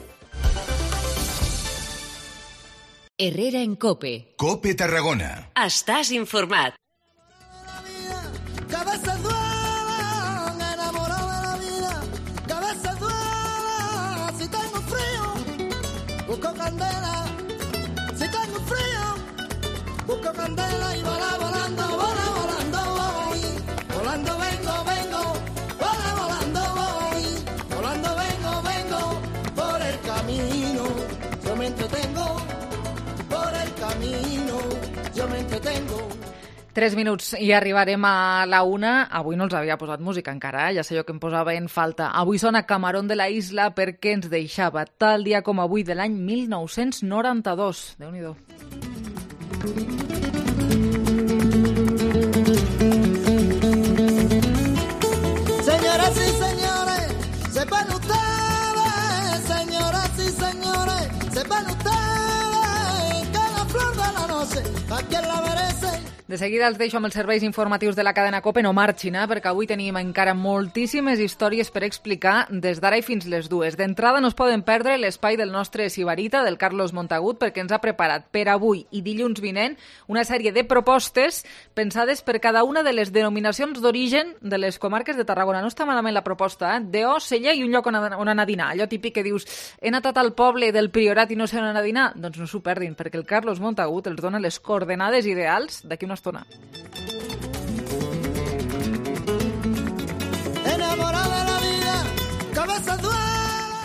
S3: Herrera en COPE.
S2: COPE Tarragona.
S3: Estàs informat.
S25: Cabeza duela, enamorado de la vida. Cabeza duela, si tengo frío, busco candela. Si tengo frío, busco candela y volando, voy. Volando vengo, volando vengo, por el camino. Yo me entretengo, por el camino, yo me entretengo.
S1: 3 minuts i arribarem a la 1. Avui no els havia posat música encara, ja sé jo que em posava en falta. Avui sona Camarón de la Isla perquè ens deixava tal dia com avui de l'any 1992. Déu-n'hi-do.
S25: Señoras y señores, sepan ustedes, señoras y señores, sepan ustedes que la flor de la noche a quien la merece.
S1: De seguida els deixo amb els serveis informatius de la cadena COPE, no marxin, perquè avui tenim encara moltíssimes històries per explicar des d'ara i fins les 2. D'entrada no es poden perdre l'espai del nostre Sibarita, del Carlos Montagut, perquè ens ha preparat per avui i dilluns vinent una sèrie de propostes pensades per cada una de les denominacions d'origen de les comarques de Tarragona. No està malament la proposta, D.O., Sella i un lloc on anar a dinar. Allò típic que dius, he anat al poble del Priorat i no sé on anar a dinar? Doncs no s'ho perdin, perquè el Carlos Montagut els dona les coordenades ideals d'aquí una estona.
S25: Enamorada de la vida, cabeza duela.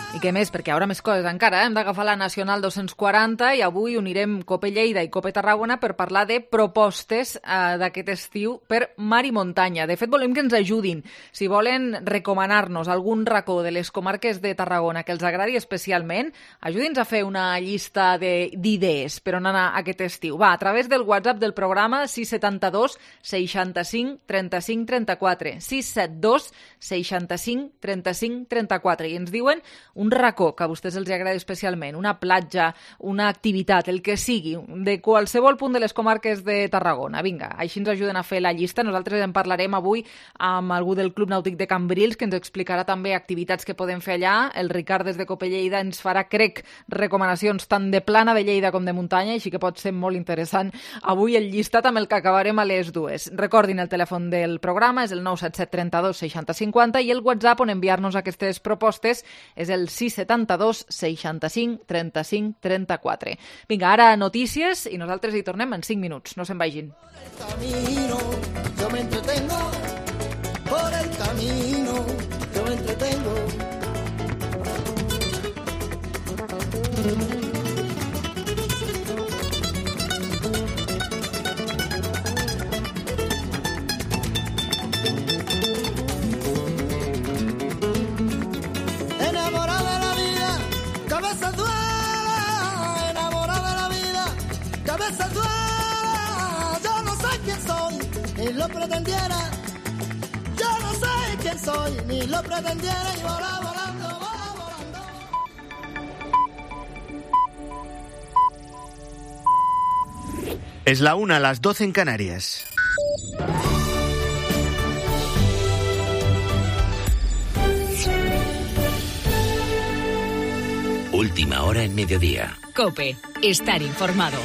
S1: I què més? Perquè ara més coses encara. Hem d'agafar la Nacional 240 i avui unirem COPE Lleida i COPE Tarragona per parlar de propostes d'aquest estiu per mar i muntanya. De fet, volem que ens ajudin. Si volen recomanar-nos algun racó de les comarques de Tarragona que els agradi especialment, ajudi'ns a fer una llista d'idees per on anar aquest estiu. Va, a través del WhatsApp del programa 672 65 35 34. 672 65 35 34. I ens diuen un racó que a vostès els agradi especialment, una platja, una activitat, el que sigui, de qualsevol punt de les comarques de Tarragona. Vinga, així ens ajuden a fer la llista. Nosaltres en parlarem avui amb algú del Club Nàutic de Cambrils, que ens explicarà també activitats que podem fer allà. El Ricard des de COPE Lleida ens farà, crec, recomanacions tant de plana de Lleida com de muntanya, així que pot ser molt interessant avui el llistat amb el que acabarem a les 2. Recordin, el telèfon del programa és el 977 32 60 50 i el WhatsApp on enviar-nos aquestes propostes és el 672 65 35 34. Vinga, ara notícies i nosaltres hi tornem en 5 minuts. No se'n vagin.
S25: Yo me entretengo, por el camino, yo me entretengo. ni lo pretendiera. Yo no sé quién soy, ni lo pretendiera, y volá volando, volá volando.
S6: Es la 1, las 12 en Canarias.
S7: Última hora en mediodía.
S3: COPE. Estar informado.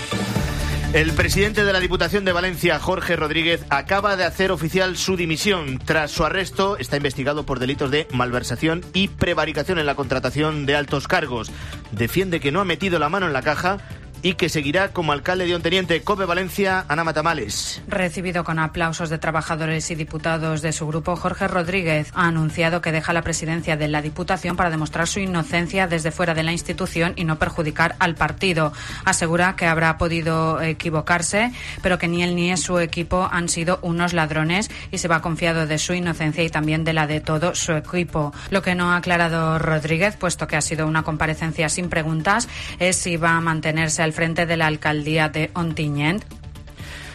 S6: El presidente de la Diputación de Valencia, Jorge Rodríguez, acaba de hacer oficial su dimisión. Tras su arresto, está investigado por delitos de malversación y prevaricación en la contratación de altos cargos. Defiende que no ha metido la mano en la caja y que seguirá como alcalde de Onteniente. COPE Valencia, Ana Matamales.
S8: Recibido con aplausos de trabajadores y diputados de su grupo, Jorge Rodríguez ha anunciado que deja la presidencia de la Diputación para demostrar su inocencia desde fuera de la institución y no perjudicar al partido. Asegura que habrá podido equivocarse, pero que ni él ni su equipo han sido unos ladrones y se va confiado de su inocencia y también de la de todo su equipo. Lo que no ha aclarado Rodríguez, puesto que ha sido una comparecencia sin preguntas, es si va a mantenerse al frente de la alcaldía de Ontinyent.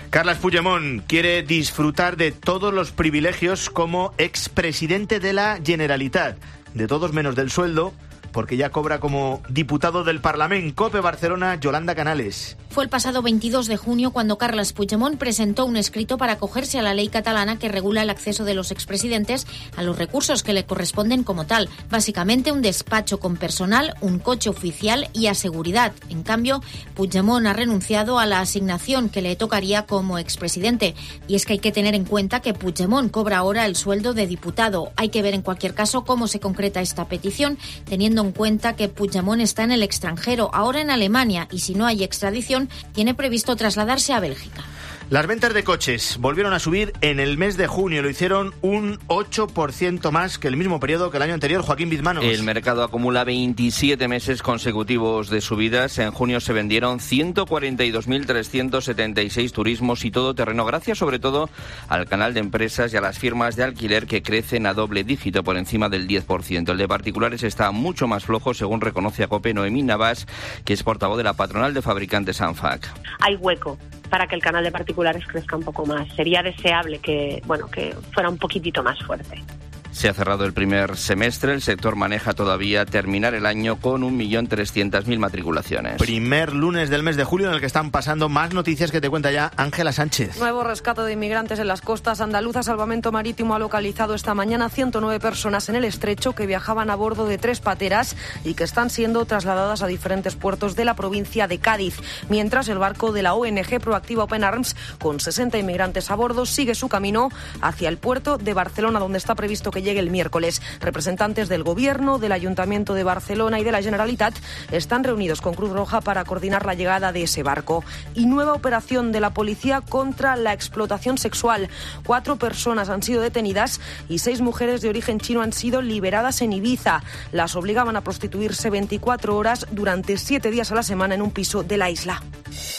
S6: Carles Puigdemont quiere disfrutar de todos los privilegios como expresidente de la Generalitat, de todos menos del sueldo, porque ya cobra como diputado del Parlament. COPE Barcelona, Yolanda Canales.
S9: Fue el pasado 22 de junio cuando Carles Puigdemont presentó un escrito para acogerse a la ley catalana que regula el acceso de los expresidentes a los recursos que le corresponden como tal. Básicamente un despacho con personal, un coche oficial y a seguridad. En cambio, Puigdemont ha renunciado a la asignación que le tocaría como expresidente. Y es que hay que tener en cuenta que Puigdemont cobra ahora el sueldo de diputado. Hay que ver en cualquier caso cómo se concreta esta petición, teniendo en cuenta que Puigdemont está en el extranjero, ahora en Alemania, y si no hay extradición, tiene previsto trasladarse a Bélgica.
S6: Las ventas de coches volvieron a subir en el mes de junio. Lo hicieron un 8% más que el mismo periodo que el año anterior. Joaquín Bizmanos.
S10: El mercado acumula 27 meses consecutivos de subidas. En junio se vendieron 142.376 turismos y todoterreno, gracias sobre todo al canal de empresas y a las firmas de alquiler que crecen a doble dígito, por encima del 10%. El de particulares está mucho más flojo, según reconoce a COPE Noemí Navas, que es portavoz de la patronal de fabricantes ANFAC.
S26: Hay hueco para que el canal de particulares crezca un poco más. Sería deseable que fuera un poquitito más fuerte.
S10: Se ha cerrado el primer semestre. El sector maneja todavía terminar el año con 1.300.000 matriculaciones.
S6: Primer lunes del mes de julio en el que están pasando más noticias que te cuenta ya Ángela Sánchez.
S27: Nuevo rescate de inmigrantes en las costas andaluzas. Salvamento Marítimo ha localizado esta mañana 109 personas en el estrecho que viajaban a bordo de 3 pateras y que están siendo trasladadas a diferentes puertos de la provincia de Cádiz. Mientras el barco de la ONG Proactiva Open Arms, con 60 inmigrantes a bordo, sigue su camino hacia el puerto de Barcelona, donde está previsto que llegue el miércoles. Representantes del Gobierno, del Ayuntamiento de Barcelona y de la Generalitat están reunidos con Cruz Roja para coordinar la llegada de ese barco. Y nueva operación de la policía contra la explotación sexual. 4 personas han sido detenidas y 6 mujeres de origen chino han sido liberadas en Ibiza. Las obligaban a prostituirse 24 horas durante 7 días a la semana en un piso de la isla.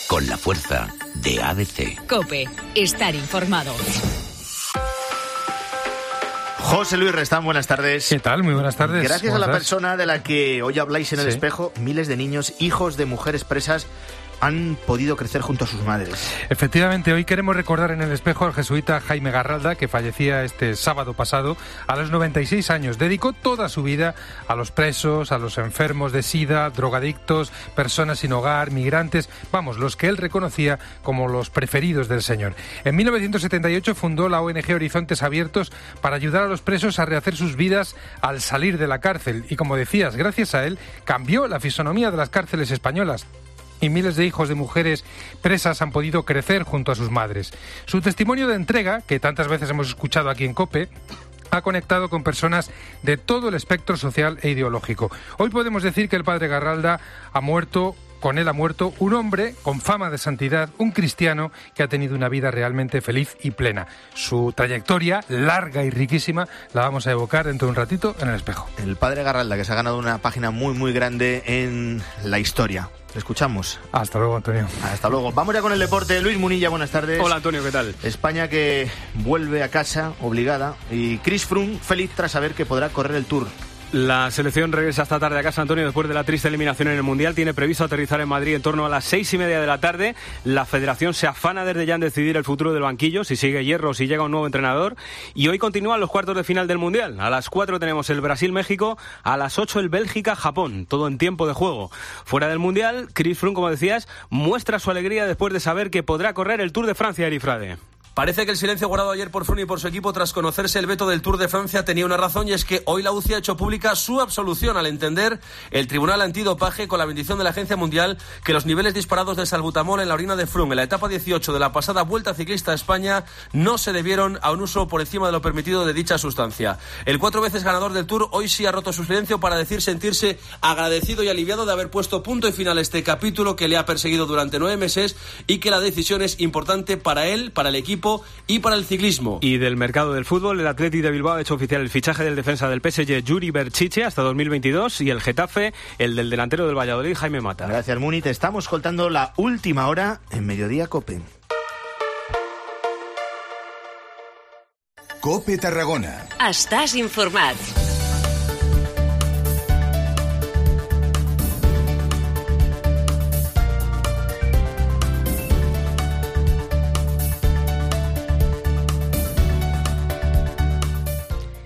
S7: Con la fuerza de ABC.
S3: COPE. Estar informado.
S6: José Luis Restán, buenas tardes.
S28: ¿Qué tal? Muy buenas tardes.
S6: Gracias a la persona de la que hoy habláis en el espejo, miles de niños, hijos de mujeres presas, han podido crecer junto a sus madres.
S28: Efectivamente, hoy queremos recordar en el espejo al jesuita Jaime Garralda, que fallecía este sábado pasado a los 96 años. Dedicó toda su vida a los presos, a los enfermos de SIDA, drogadictos, personas sin hogar, migrantes, los que él reconocía como los preferidos del Señor. En 1978 fundó la ONG Horizontes Abiertos para ayudar a los presos a rehacer sus vidas al salir de la cárcel. Y como decías, gracias a él cambió la fisonomía de las cárceles españolas. Y miles de hijos de mujeres presas han podido crecer junto a sus madres. Su testimonio de entrega, que tantas veces hemos escuchado aquí en COPE, ha conectado con personas de todo el espectro social e ideológico. Hoy podemos decir que el padre Garralda ha muerto un hombre con fama de santidad, un cristiano que ha tenido una vida realmente feliz y plena. Su trayectoria, larga y riquísima, la vamos a evocar dentro de un ratito en el espejo.
S6: El padre Garralda, que se ha ganado una página muy, muy grande en la historia. ¿Le escuchamos?
S28: Hasta luego, Antonio.
S6: Hasta luego. Vamos ya con el deporte. Luis Munilla, buenas tardes.
S29: Hola, Antonio, ¿qué tal?
S6: España que vuelve a casa obligada y Chris Froome feliz tras saber que podrá correr el Tour.
S11: La selección regresa esta tarde a casa, Antonio, después de la triste eliminación en el Mundial. Tiene previsto aterrizar en Madrid en torno a las 6:30 de la tarde. La federación se afana desde ya en decidir el futuro del banquillo, si sigue Hierro, si llega un nuevo entrenador. Y hoy continúan los cuartos de final del Mundial. A las 4 tenemos el Brasil-México, a las 8 el Bélgica-Japón, todo en tiempo de juego. Fuera del Mundial, Chris Froome, como decías, muestra su alegría después de saber que podrá correr el Tour de Francia, Erifrade.
S12: Parece que el silencio guardado ayer por Froome y por su equipo tras conocerse el veto del Tour de Francia tenía una razón, y es que hoy la UCI ha hecho pública su absolución al entender el Tribunal Antidopaje, con la bendición de la Agencia Mundial, que los niveles disparados de salbutamol en la orina de Froome en la etapa 18 de la pasada Vuelta Ciclista a España no se debieron a un uso por encima de lo permitido de dicha sustancia. El 4 veces ganador del Tour hoy sí ha roto su silencio para decir sentirse agradecido y aliviado de haber puesto punto y final a este capítulo que le ha perseguido durante 9 meses, y que la decisión es importante para él, para el equipo y para el ciclismo.
S11: Y del mercado del fútbol, el Athletic de Bilbao ha hecho oficial el fichaje del defensa del PSG, Yuri Berchiche, hasta 2022, y el Getafe, el del delantero del Valladolid, Jaime Mata.
S6: Gracias, Muni. Te estamos contando la última hora en Mediodía Cope.
S2: Cope Tarragona.
S4: Estàs informat.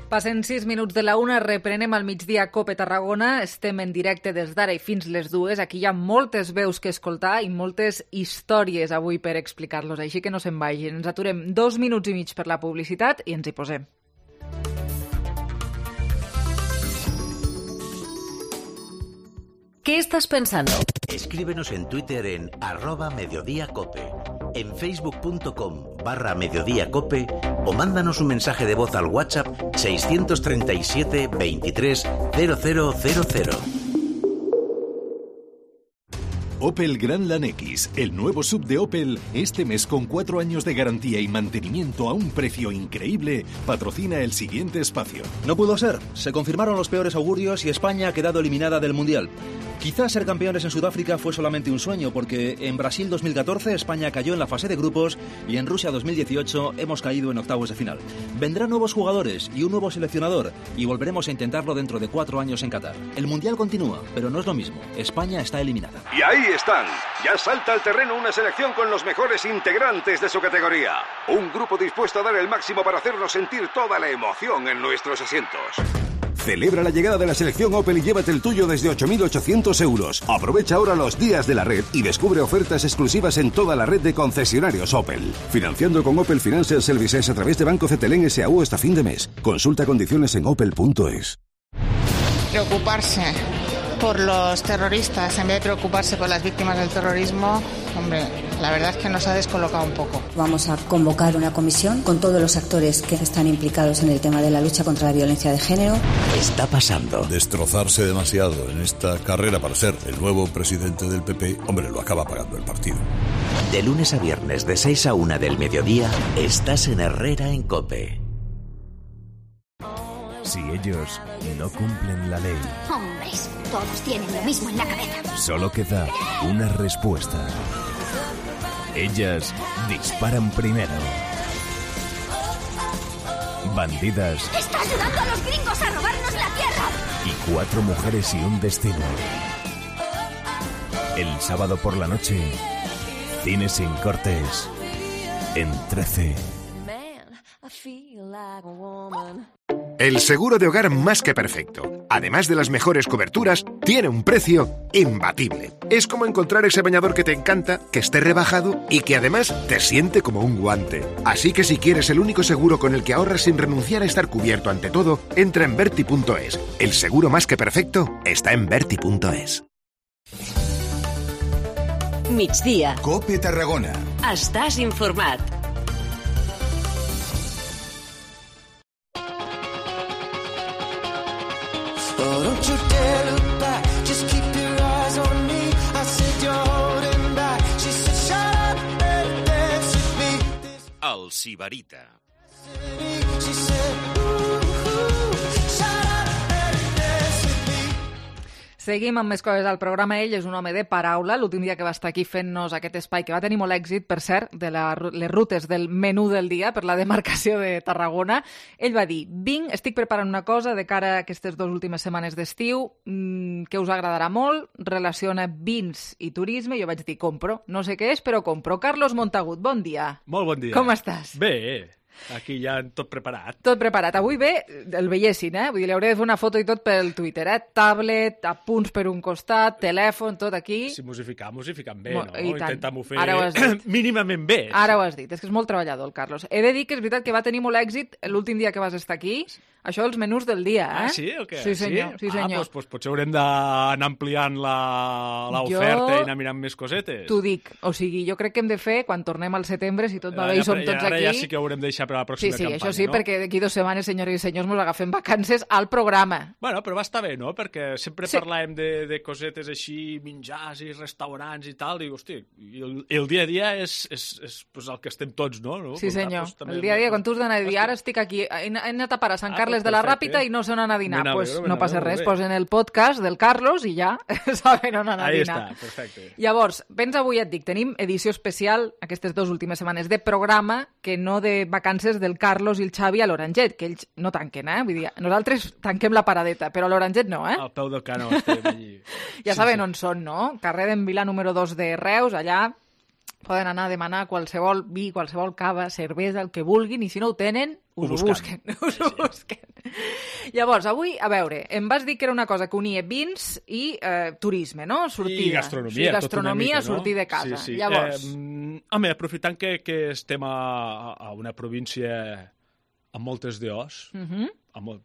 S1: Passen 6 minuts de la 1, reprenem al migdia Cope Tarragona. Estem en directe des d'ara i fins les 2. Aquí hi ha moltes veus que escoltar i moltes històries avui per explicar-los, així que no se'n vagin. Ens aturem 2 minuts i mig per la publicitat i ens hi posem.
S4: ¿Qué estás pensando?
S7: Escríbenos en Twitter en @mediodíacope, en facebook.com/mediodíacope o mándanos un mensaje de voz al WhatsApp 637 23 0000.
S13: Opel Grandland X, el nuevo SUV de Opel, este mes con 4 años de garantía y mantenimiento a un precio increíble, patrocina el siguiente espacio.
S14: No pudo ser, se confirmaron los peores augurios y España ha quedado eliminada del Mundial. Quizás ser campeones en Sudáfrica fue solamente un sueño, porque en Brasil 2014 España cayó en la fase de grupos y en Rusia 2018 hemos caído en octavos de final. Vendrán nuevos jugadores y un nuevo seleccionador y volveremos a intentarlo dentro de 4 años en Qatar. El Mundial continúa, pero no es lo mismo. España está eliminada.
S15: Y ahí están. Ya salta al terreno una selección con los mejores integrantes de su categoría. Un grupo dispuesto a dar el máximo para hacernos sentir toda la emoción en nuestros asientos.
S16: Celebra la llegada de la selección Opel y llévate el tuyo desde 8.800 euros. Aprovecha ahora los días de la red y descubre ofertas exclusivas en toda la red de concesionarios Opel. Financiando con Opel Financial Services a través de Banco Cetelén S.A.U. hasta fin de mes. Consulta condiciones en opel.es.
S17: Preocuparse por los terroristas en vez de preocuparse por las víctimas del terrorismo, hombre, la verdad es que nos ha descolocado un poco.
S19: Vamos a convocar una comisión con todos los actores que están implicados en el tema de la lucha contra la violencia de género.
S7: Está pasando.
S29: Destrozarse demasiado en esta carrera para ser el nuevo presidente del PP, hombre, lo acaba pagando el partido.
S7: De lunes a viernes, de 6 a 1 del mediodía, estás en Herrera en COPE.
S30: Si ellos no cumplen la ley,
S31: hombres, todos tienen lo mismo en la cabeza.
S30: Solo queda una respuesta. Ellas disparan primero. Bandidas.
S31: ¡Está ayudando a los gringos a robarnos la tierra!
S30: Y 4 mujeres y un destino. El sábado por la noche, Cine sin cortes, en 13.
S32: El seguro de hogar más que perfecto, además de las mejores coberturas, tiene un precio imbatible. Es como encontrar ese bañador que te encanta, que esté rebajado y que además te siente como un guante. Así que si quieres el único seguro con el que ahorras sin renunciar a estar cubierto ante todo, entra en Berti.es. El seguro más que perfecto está en Berti.es.
S4: Migdia.
S2: Cope Tarragona.
S4: Estàs informat.
S25: Oh, don't you dare look back, just keep your eyes on me. I said you're holding back. She said shut up and dance with me.
S24: El Sibarita.
S25: She said ooh, shut up and dance with me.
S1: Seguim amb més coses al programa. Ell és un home de paraula. L'últim dia que va estar aquí fent-nos aquest espai, que va tenir molt èxit, per cert, de les rutes del menú del dia per la demarcació de Tarragona, ell va dir: estic preparant una cosa de cara a aquestes 2 últimes setmanes d'estiu que us agradarà molt, relaciona vins i turisme. Jo vaig dir: compro. No sé què és, però compro. Carlos Montagut, bon dia.
S3: Molt bon dia.
S1: Com estàs?
S3: Bé. Aquí ja tot preparat.
S1: Tot preparat. Avui ve, el veiessin, Vull dir, li hauré de fer una foto i tot pel Twitter, Tablet, apunts per un costat, telèfon, tot aquí.
S3: Si m'ho fiquem bé, no?
S1: Intentam-ho
S3: fer mínimament bé.
S1: Ara ho has dit. És que és molt treballador, el Carlos. He de dir que és veritat que va tenir molt èxit l'últim dia que vas estar aquí. Això, els menús del dia,
S3: Ah, sí? O què?
S1: Sí, senyor. Sí, senyor.
S3: Doncs potser haurem d'anar ampliant l'oferta i anar mirant més cosetes.
S1: T'ho dic. O sigui, jo crec que hem de fer, quan tornem al setembre, si tot va bé i som tots aquí...
S3: Ara ja sí que haurem de deixar per a la pròxima campanya,
S1: això sí,
S3: no?
S1: perquè d'aquí 2 setmanes, senyores i senyors, mos agafem vacances al programa.
S3: Bueno, però va estar bé, no? Perquè sempre parlàvem de cosetes així, menjars i restaurants i tal, i, hosti, el dia a dia és pues, el que estem tots, no?
S1: Sí, senyor. El dia a dia, quan tu has d'anar a dir, ara estic aquí, he anat a parar a Sant Carles de la Ràpita i no sé on anar a dinar. Doncs no passa res, posen el podcast del Carlos i ja saben on anar a dinar.
S3: Ahí està, perfecte.
S1: Llavors, vens avui, et dic, tenim edició especial aquestes 2 últimes setmanes de programa, que no de vacances del Carlos i el Xavi a l'Oranget, que ells no tanquen, Vull dir, nosaltres tanquem la paradeta, però a l'Oranget no,
S3: Al peu del canó estem allí.
S1: Ja saben on són, no? Carrer d'en Vilà número 2 de Reus, allà poden anar a demanar qualsevol vi, qualsevol cava, cervesa, el que vulguin, i si no ho tenen, us ho busquen. Llavors, avui, a veure, em vas dir que era una cosa que unia vins i turisme, no? Sortida.
S3: I gastronomia.
S1: I gastronomia,
S3: mica,
S1: sortir de casa.
S3: Sí.
S1: Llavors...
S3: home, aprofitant que estem a una província amb moltes DOs,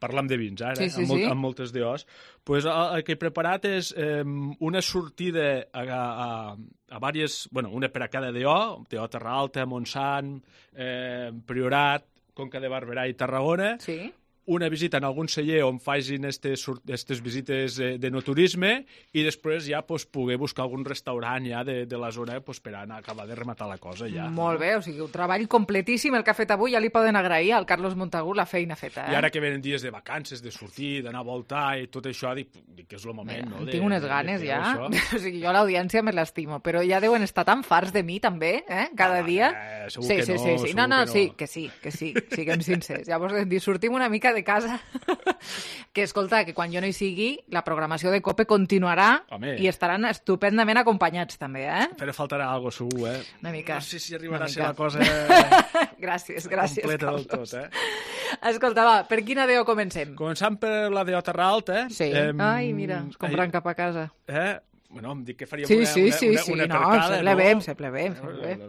S3: parlam de vins ara, amb moltes DOs, pues el que he preparat és una sortida a diverses, bueno, una per a cada DO Terra Alta, Montsant, Priorat, Conca de Barberà i Tarragona, una visita en algun celler on facin aquestes visites de no turisme i després ja poder buscar algun restaurant ja de la zona per anar a acabar de rematar la cosa ja.
S1: Molt bé, o sigui, un treball completíssim el que ha fet avui, ja li poden agrair al Carlos Montagut la feina feta.
S3: I ara que venen dies de vacances, de sortir, d'anar a voltar i tot això, dic que és el moment, no?
S1: Tinc unes ganes ja, o sigui, jo l'audiència me l'estimo, però ja deuen estar tan farts de mi també, cada dia.
S3: Segur que no.
S1: Sí, no, que sí, siguem sincers. Llavors, sortim una mica de casa, que escolta, que quan jo no hi sigui la programació de COPE continuarà i estaran estupendament acompanyats també,
S3: Però faltarà alguna cosa segur,
S1: Una mica.
S3: No sé si arribarà a ser la cosa
S1: gràcies,
S3: completa
S1: Carlos.
S3: del tot,
S1: Escolta, va, per quina DO comencem?
S3: Començant per la DO Terra Alta.
S1: Sí. Ai, mira, es compran cap a casa.
S3: Bueno, em dic que faríem una
S1: no,
S3: per cada,
S1: sembla bé.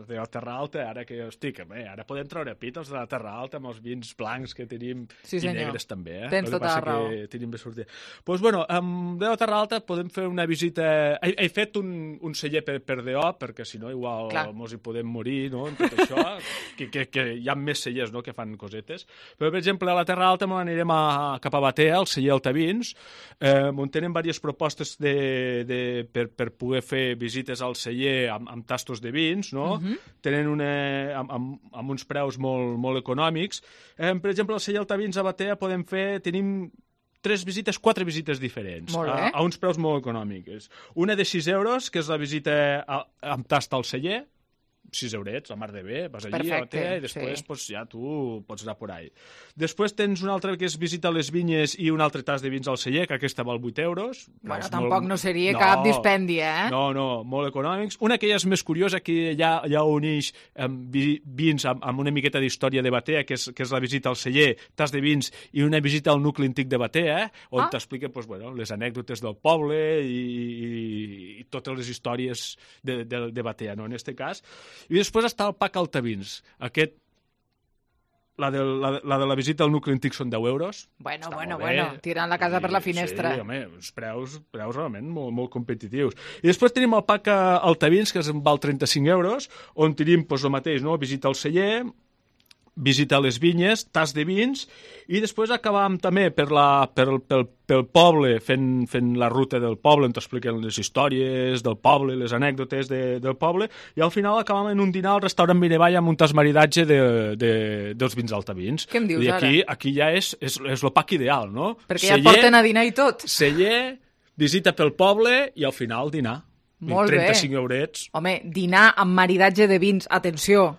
S3: De la Terra Alta, ara que estic, ara podem treure pit els de la Terra Alta amb els vins blancs que tenim i negres també,
S1: Tens tota la raó.
S3: Que tenim bé sortir. Doncs, bueno, amb DO Terra Alta podem fer una visita... He fet un celler per DO, perquè si no igual mos hi podem morir, no?, en tot això, que hi ha més cellers, no?, que fan cosetes. Però, per exemple, a la Terra Alta anirem cap a Batea, al celler Altavins, on tenen diverses propostes per poder fer visites al celler amb tastos de vins, no? Tenen amb uns preus molt econòmics. Per exemple, al celler Altavins a Batea tenim 4 visites diferents, a uns preus molt econòmics. Una de 6 euros, que és la visita amb tast al celler, 6 eurets, la mar de bé, vas allí a Batea i després ja tu pots anar por ahí. Després tens una altra que és visita a les vinyes i un altre tas de vins al celler, que aquesta val 8 euros.
S1: Bueno, tampoc no seria cap dispendi,
S3: No, molt econòmics. Una que ja és més curiosa, que ja uneix vins amb una miqueta d'història de Batea, que és la visita al celler, tas de vins i una visita al nucli antic de Batea, on t'expliquen les anècdotes del poble i totes les històries de Batea, no?, en aquest cas. I després està el PAC Altavins. La de la visita al nucli antic són 10 euros.
S1: Bueno, tirant la casa per la finestra.
S3: Sí, home, uns preus realment molt competitius. I després tenim el PAC Altavins, que val 35 euros, on tenim el mateix, no?, visita al celler, visita a les vinyes, tas de vins, i després acabàvem també pel poble, fent la ruta del poble, on t'expliquen les històries del poble, les anècdotes del poble, i al final acabàvem en un dinar al restaurant Miravall amb un tas maridatge dels vins Altavins.
S1: Què em dius
S3: ara? Aquí ja és l'OPAC ideal, no?
S1: Perquè ja et porten a dinar i tot.
S3: Celler, visita pel poble i al final dinar.
S1: Molt
S3: 35 eurets.
S1: Home, dinar amb maridatge de vins, atenció,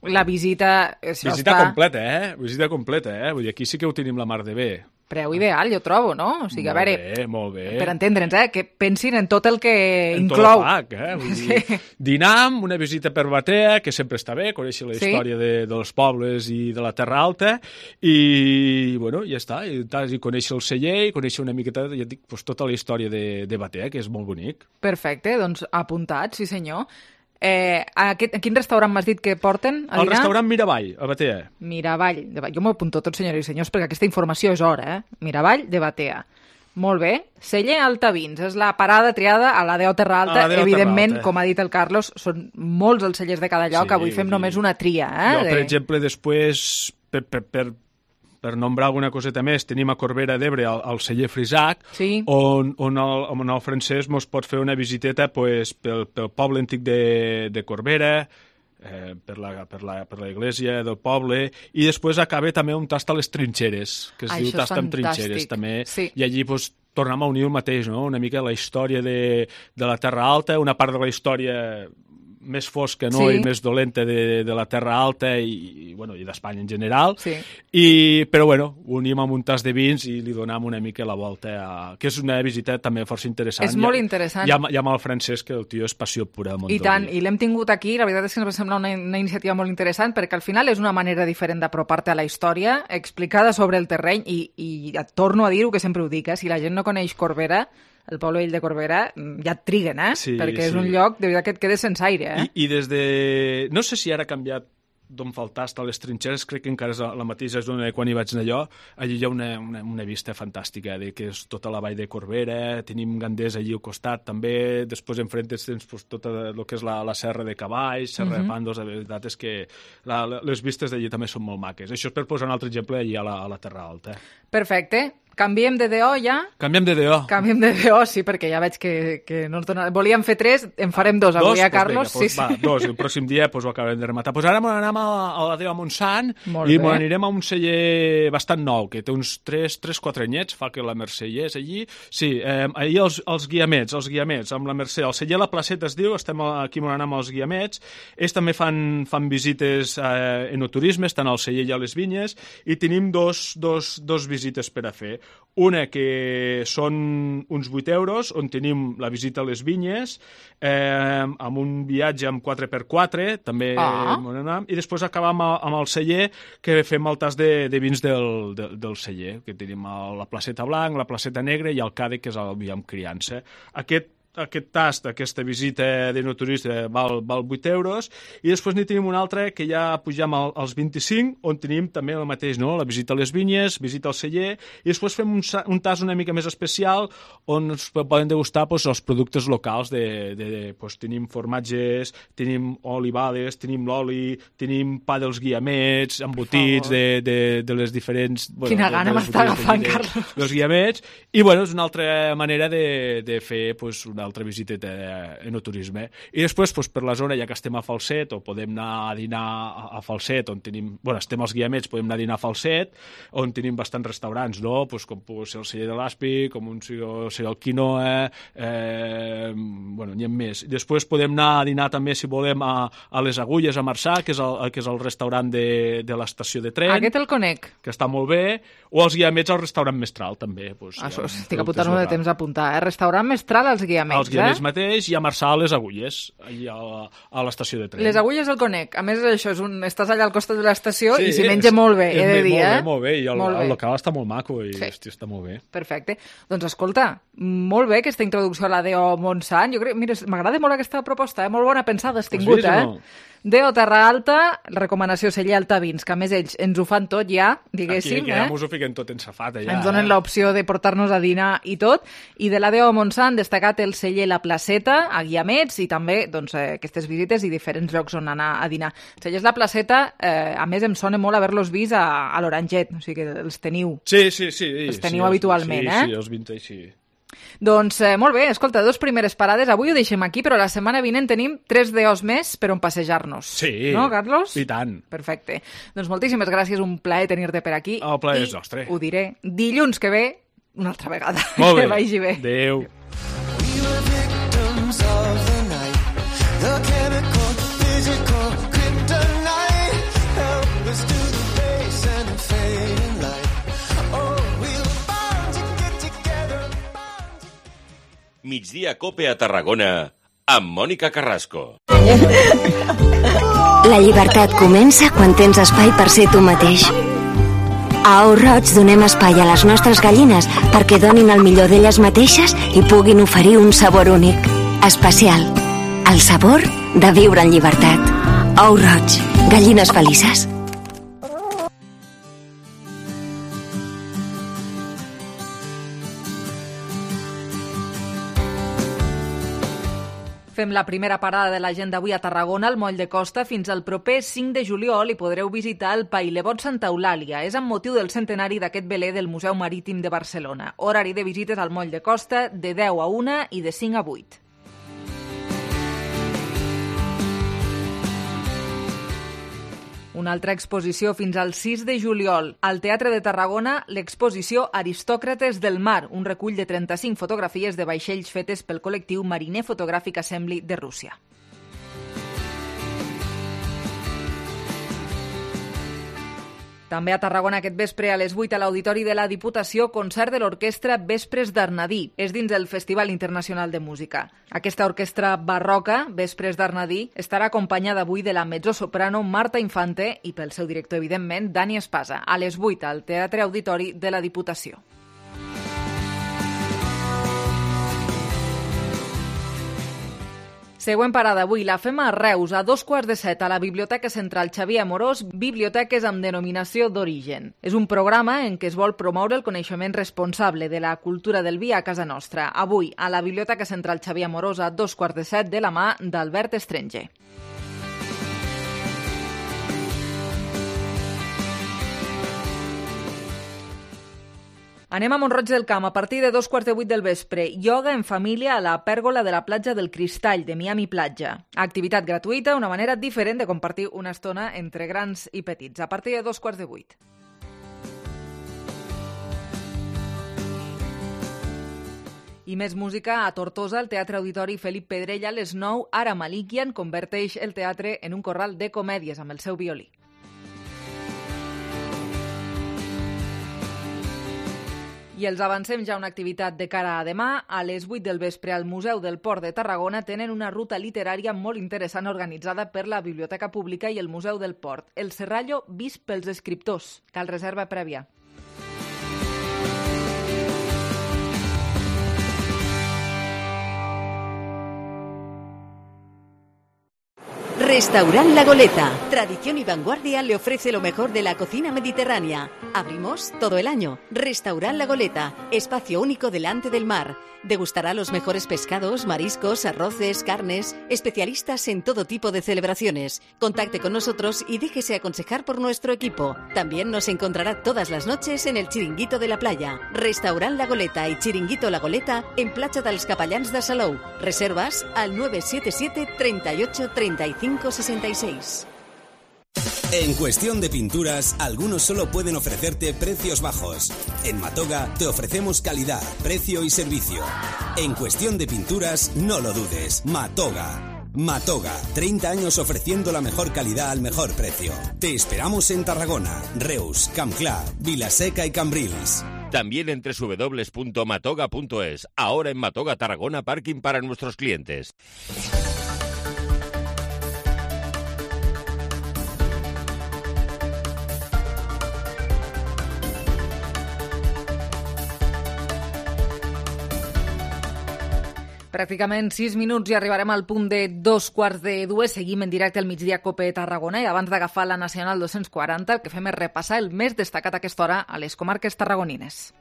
S1: la visita...
S3: Visita completa, Visita completa, Vull dir, aquí sí que ho tenim la mar de bé.
S1: Preu ideal, jo trobo, no? O sigui, a veure,
S3: molt bé.
S1: Per entendre'ns, que pensin en tot el que inclou.
S3: En tot el pack, Vull dir, dinar, una visita per Batea, que sempre està bé, conèixer la història dels pobles i de la Terra Alta, i, bueno, ja està, i conèixer el celler, i conèixer una miqueta, ja dic, tota la història de Batea, que és molt bonic.
S1: Perfecte, doncs apuntat, sí senyor. A quin restaurant m'has dit que porten a dinar?
S3: El restaurant Miravall, a Batea.
S1: Miravall de Batea. Jo m'ho apunto tot, senyores i senyors, perquè aquesta informació és hora, Miravall de Batea. Molt bé. Celler Altavins, és la parada triada a la Déu Terra Alta. Evidentment, com ha dit el Carlos, són molts els cellers de cada lloc. Avui fem només una tria.
S3: Jo, per exemple, després, per nombrar alguna coseta més, tenim a Corbera d'Ebre el celler Frisac, on el Francesc mos pot fer una visiteta pel poble antic de Corbera, per la iglesia del poble, i després acaba també un tast a les trinxeres, que es diu tast amb trinxeres també, i allí tornem a unir el mateix, no? Una mica la història de la Terra Alta, una part de la història més fosca, no? I més dolenta de la Terra Alta i d'Espanya en general, però unim amb un tas de vins i li donem una mica la volta, que és una visita també força interessant.
S1: És molt interessant.
S3: I amb el Francesc, que el tio és passió pura del món.
S1: I tant, i l'hem tingut aquí, la veritat és que ens va semblar una iniciativa molt interessant, perquè al final és una manera diferent d'apropar-te a la història, explicada sobre el terreny, i et torno a dir-ho, que sempre ho dic, si la gent no coneix Corbera, el poble vell de Corbera, ja et triguen, perquè és un lloc, de veritat, que et quedes sense aire.
S3: I des de... No sé si ara ha canviat d'on fa el tast a les trinxeres, crec que encara és la mateixa zona de quan hi vaig anar allò. Allí hi ha una vista fantàstica, que és tota la vall de Corbera, tenim Gandés allí al costat també, després enfront tens tot el que és la serra de Cavalls, serra de Pàndols, la veritat és que les vistes d'allí també són molt maques. Això és per posar un altre exemple allí a la Terra Alta.
S1: Perfecte. Canviem de DO ja?
S3: Canviem de DO.
S1: Canviem de DO, sí, perquè ja veig que no ens dona... Volíem fer 3, en farem 2 avui, Carlos?
S3: Va, 2, el pròxim dia ho acabarem de rematar. Ara anem a la DO a Montsant i anirem a un celler bastant nou, que té uns 3-4 anyets, fa que la Mercè hi és allí. Sí, allí els guiamets, amb la Mercè. El celler La Placeta es diu, estem aquí on anem als guiamets. Ells també fan visites enoturismes, tant al celler i a les vinyes, i tenim dos visites per a fer. Una que són uns 8 euros, on tenim la visita a les vinyes, amb un viatge amb 4x4, també, i després acabam amb el celler, que fem el tast de vins del celler, que tenim la Placeta Blanc, la Placeta Negra i el Càdec, que és el vi amb criança. Aquest tast, aquesta visita d'enoturista val 8 euros, i després n'hi tenim una altra que ja pugem als 25, on tenim també el mateix, no? La visita a les vinyes, visita al celler, i després fem un tast una mica més especial on es poden degustar els productes locals. Tenim formatges, tenim olivades, tenim l'oli, tenim pa dels guiamets, embotits de les diferents...
S1: Quina gana m'està agafant, Carlos.
S3: Dels guiamets, i és una altra manera de fer una altra visiteta enoturisme. I després, per la zona, ja que estem a Falset, o podem anar a dinar a Falset, on tenim... estem als guiamets, podem anar a dinar a Falset, on tenim bastants restaurants, no? Com pot ser el celler de l'Aspi, com ser el Quinoa, n'hi ha més. Després podem anar a dinar també, si volem, a les Agulles, a Marçà, que és el restaurant de l'estació de tren.
S1: Aquest el conec.
S3: Que està molt bé. O als guiamets, al restaurant Mestral, també.
S1: Estic apuntant-ho de temps a apuntar. Restaurant Mestral als guiamets.
S3: Els guiamets mateix, i a Marçà a les Agulles, allà a l'estació de tren.
S1: Les Agulles el conec. A més, això estàs allà al costat de l'estació i s'hi menja molt bé, he de dir.
S3: Molt bé, i el local està molt maco i està molt bé.
S1: Perfecte. Doncs escolta, molt bé aquesta introducció a la DO Montsant. Jo crec, mira, m'agrada molt aquesta proposta, molt bona pensada, has tingut, DO Terra Alta, recomanació celler Altavins, que a més ells ens ho fan tot ja, diguéssim.
S3: Aquí ja mos ho fiquen tot en safata.
S1: Ens donen l'opció de portar-nos a dinar i tot. I de la DO Montsant, destacat el celler La Placeta, a Guiamets, i també aquestes visites i diferents llocs on anar a dinar. Cellers La Placeta, a més em sona molt haver-los vist a l'Oranget, o sigui que els teniu.
S3: Sí.
S1: Els teniu habitualment,
S3: Sí, els vintage, sí.
S1: Doncs molt bé, escolta, 2 primeres parades, avui ho deixem aquí, però la setmana vinent tenim 3 DOs més per on passejar-nos.
S3: Sí,
S1: no, Carlos?
S3: I tant.
S1: Perfecte. Doncs moltíssimes gràcies, un plaer tenir-te per aquí.
S3: El plaer és nostre.
S1: Ho diré dilluns que ve una altra vegada.
S3: Molt bé.
S1: Que vagi bé.
S3: Adéu.
S25: The chemical, physical, kryptonite. Help us to the base and the fading light. Oh, we were bound to get together.
S24: Migdia Cope a Tarragona amb Mònica Carrasco.
S31: La llibertat comença quan tens espai per ser tu mateix. A Ou Roig donem espai a les nostres gallines perquè donin el millor d'elles mateixes i puguin oferir un sabor únic, especial. El sabor de viure en llibertat. Ou Roig, gallines felices.
S1: Fem la primera parada de l'agenda avui a Tarragona, al Moll de Costa. Fins al proper 5 de juliol i podreu visitar el Pailebot Santa Eulàlia. És amb motiu del centenari d'aquest veler del Museu Marítim de Barcelona. Horari de visites al Moll de Costa de 10 a 1 i de 5 a 8. Una altra exposició fins al 6 de juliol. Al Teatre de Tarragona, l'exposició Aristòcrates del Mar, un recull de 35 fotografies de vaixells fetes pel col·lectiu Mariner Photographic Assembly de Rússia. També a Tarragona aquest vespre a les 8 a l'Auditori de la Diputació, concert de l'orquestra Vespres d'Arnadí. És dins del Festival Internacional de Música. Aquesta orquestra barroca, Vespres d'Arnadí, estarà acompanyada avui de la mezzosoprano Marta Infante i pel seu director, evidentment, Dani Espasa, a les 8 al Teatre Auditori de la Diputació. Següent parada avui la fem a Reus, a 6:15 a la Biblioteca Central Xavier Amorós, Biblioteques amb denominació d'origen. És un programa en què es vol promoure el coneixement responsable de la cultura del vi a casa nostra. Avui, a la Biblioteca Central Xavier Amorós, a 6:15 de la mà d'Albert Estranger. Anem a Mont-roig del Camp a partir de 7:15 del vespre. Ioga en família a la pèrgola de la platja del Cristall de Miami Platja. Activitat gratuïta, una manera diferent de compartir una estona entre grans i petits. A partir de 7:15. I més música a Tortosa, el Teatre Auditori Felip Pedrella, a les 9, Ara Malikian converteix el teatre en un corral de comèdies amb el seu violí. I els avancem ja una activitat de cara a demà. A les 8 del vespre al Museu del Port de Tarragona tenen una ruta literària molt interessant organitzada per la Biblioteca Pública i el Museu del Port. El Serrallo vist pels escriptors. Cal reserva prèvia.
S5: Restaurant La Goleta. Tradición y vanguardia le ofrece lo mejor de la cocina mediterránea. Abrimos todo el año. Restaurant La Goleta. Espacio único delante del mar. Degustará los mejores pescados, mariscos, arroces, carnes. Especialistas en todo tipo de celebraciones. Contacte con nosotros y déjese aconsejar por nuestro equipo. También nos encontrará todas las noches en el Chiringuito de la Playa. Restaurant La Goleta y Chiringuito La Goleta en Platja dels Capellans de Salou. Reservas al 977 38 35 66.
S8: En cuestión de pinturas, algunos solo pueden ofrecerte precios bajos. En Matoga te ofrecemos calidad, precio y servicio. En cuestión de pinturas, no lo dudes. Matoga. Matoga, 30 años ofreciendo la mejor calidad al mejor precio. Te esperamos en Tarragona, Reus, Campclà, Vilaseca y Cambrils.
S24: También en www.matoga.es. Ahora en Matoga Tarragona, parking para nuestros clientes.
S1: Pràcticament 6 minuts i arribarem al punt de 2:15. Seguim en directe al Migdia Cope Tarragona i abans d'agafar la Nacional 240 el que fem és repassar el més destacat a aquesta hora a les comarques tarragonines.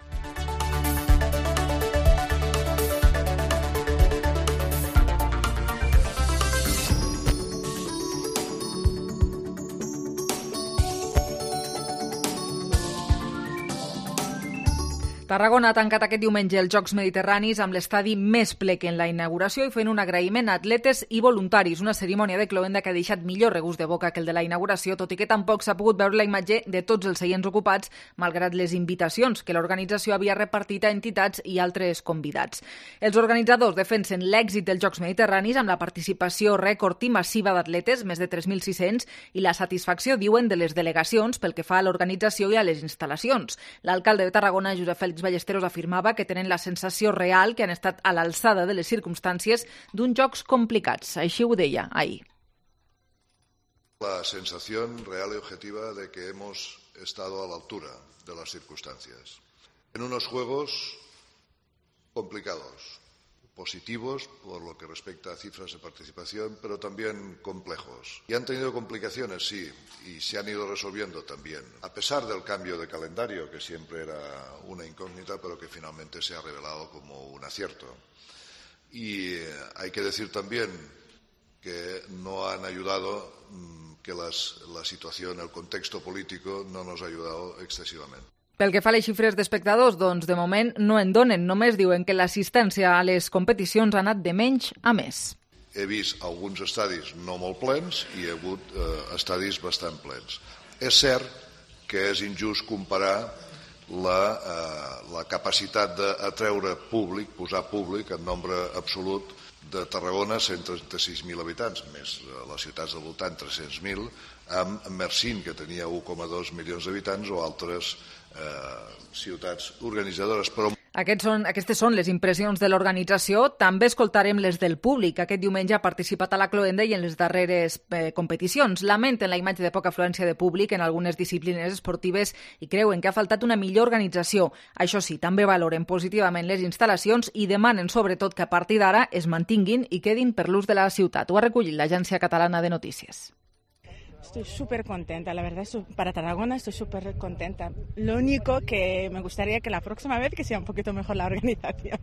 S1: Tarragona ha tancat aquest diumenge els Jocs Mediterranis amb l'estadi més ple que en la inauguració i fent un agraïment a atletes i voluntaris, una cerimònia de cloenda que ha deixat millor regust de boca que el de la inauguració, tot i que tampoc s'ha pogut veure la imatge de tots els seients ocupats, malgrat les invitacions que l'organització havia repartit a entitats i altres convidats. Els organitzadors defensen l'èxit dels Jocs Mediterranis amb la participació rècord i massiva d'atletes, més de 3.600, i la satisfacció, diuen, de les delegacions pel que fa a l'organització i a les instal·lacions. L'alcalde de Tarragona, Josep Félix Ballesteros, afirmava que tenen la sensació real que han estat a l'alçada de les circumstàncies d'uns jocs complicats. Així ho deia ahir.
S9: La sensación real y objetiva de que hemos estado a la altura de las circunstancias. En unos juegos complicados, positivos por lo que respecta a cifras de participación, pero también complejos. Y han tenido complicaciones, sí, y se han ido resolviendo también, a pesar del cambio de calendario, que siempre era una incógnita, pero que finalmente se ha revelado como un acierto. Y hay que decir también que no han ayudado, que la situación, el contexto político no nos ha ayudado excesivamente.
S1: Pel que fa a les xifres d'espectadors, doncs de moment no en donen, només diuen que l'assistència a les competicions ha anat de menys a més.
S9: He vist alguns estadis no molt plens i he hagut estadis bastant plens. És cert que és injust comparar la capacitat d'atreure públic, posar públic en nombre absolut de Tarragona, 136.000 habitants, més les ciutats del voltant, 300.000, amb Mersin, que tenia 1,2 milions d'habitants, o altres ciutats organitzadores. Però
S1: Aquestes són les impressions de l'organització. També escoltarem les del públic. Aquest diumenge ha participat a la cloenda i en les darreres competicions. Lamenten la imatge de poca afluència de públic en algunes disciplines esportives i creuen que ha faltat una millor organització. Això sí, també valoren positivament les instal·lacions i demanen sobretot que a partir d'ara es mantinguin i quedin per l'ús de la ciutat. Ho ha recollit l'Agència Catalana de Notícies.
S10: Estoy súper contenta, la verdad, para Tarragona estoy súper contenta. Lo único que me gustaría que la próxima vez que sea un poquito mejor la organización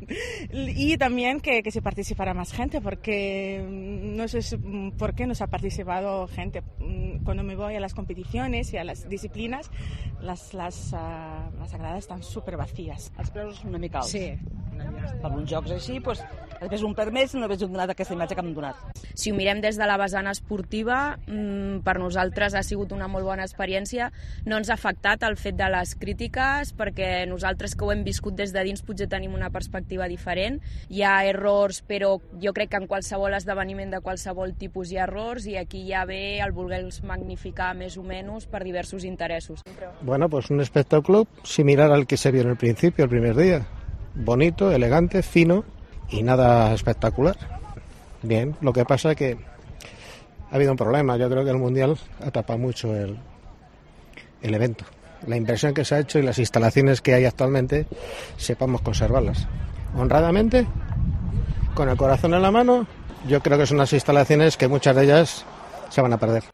S10: y también que se participara más gente, porque no sé por qué no se ha participado gente. Cuando me voy a las competiciones y a las disciplinas, las gradas están súper vacías.
S11: Els preus una mica alts.
S10: Sí.
S11: Per uns jocs així, doncs, has vist un per més i no hagués donat aquesta imatge que m'han donat.
S12: Si ho mirem des de la vessant esportiva, per nosaltres ha sigut una molt bona experiència. No ens ha afectat el fet de les crítiques, perquè nosaltres que ho hem viscut des de dins potser tenim una perspectiva diferent. Hi ha errors, però jo crec que en qualsevol esdeveniment de qualsevol tipus hi ha errors, i aquí ja ve el voler-los magnificar més o menys per diversos interessos.
S18: Bueno, pues un espectáculo similar al que se vio en el principio, el primer día. Bonito, elegante, fino y nada espectacular. Bien, lo que pasa es que ha habido un problema. Yo creo que el Mundial atrapa mucho el evento. La inversión que se ha hecho y las instalaciones que hay actualmente, sepamos conservarlas. Honradamente, con el corazón en la mano, yo creo que son unas instalaciones que muchas de ellas se van a perder.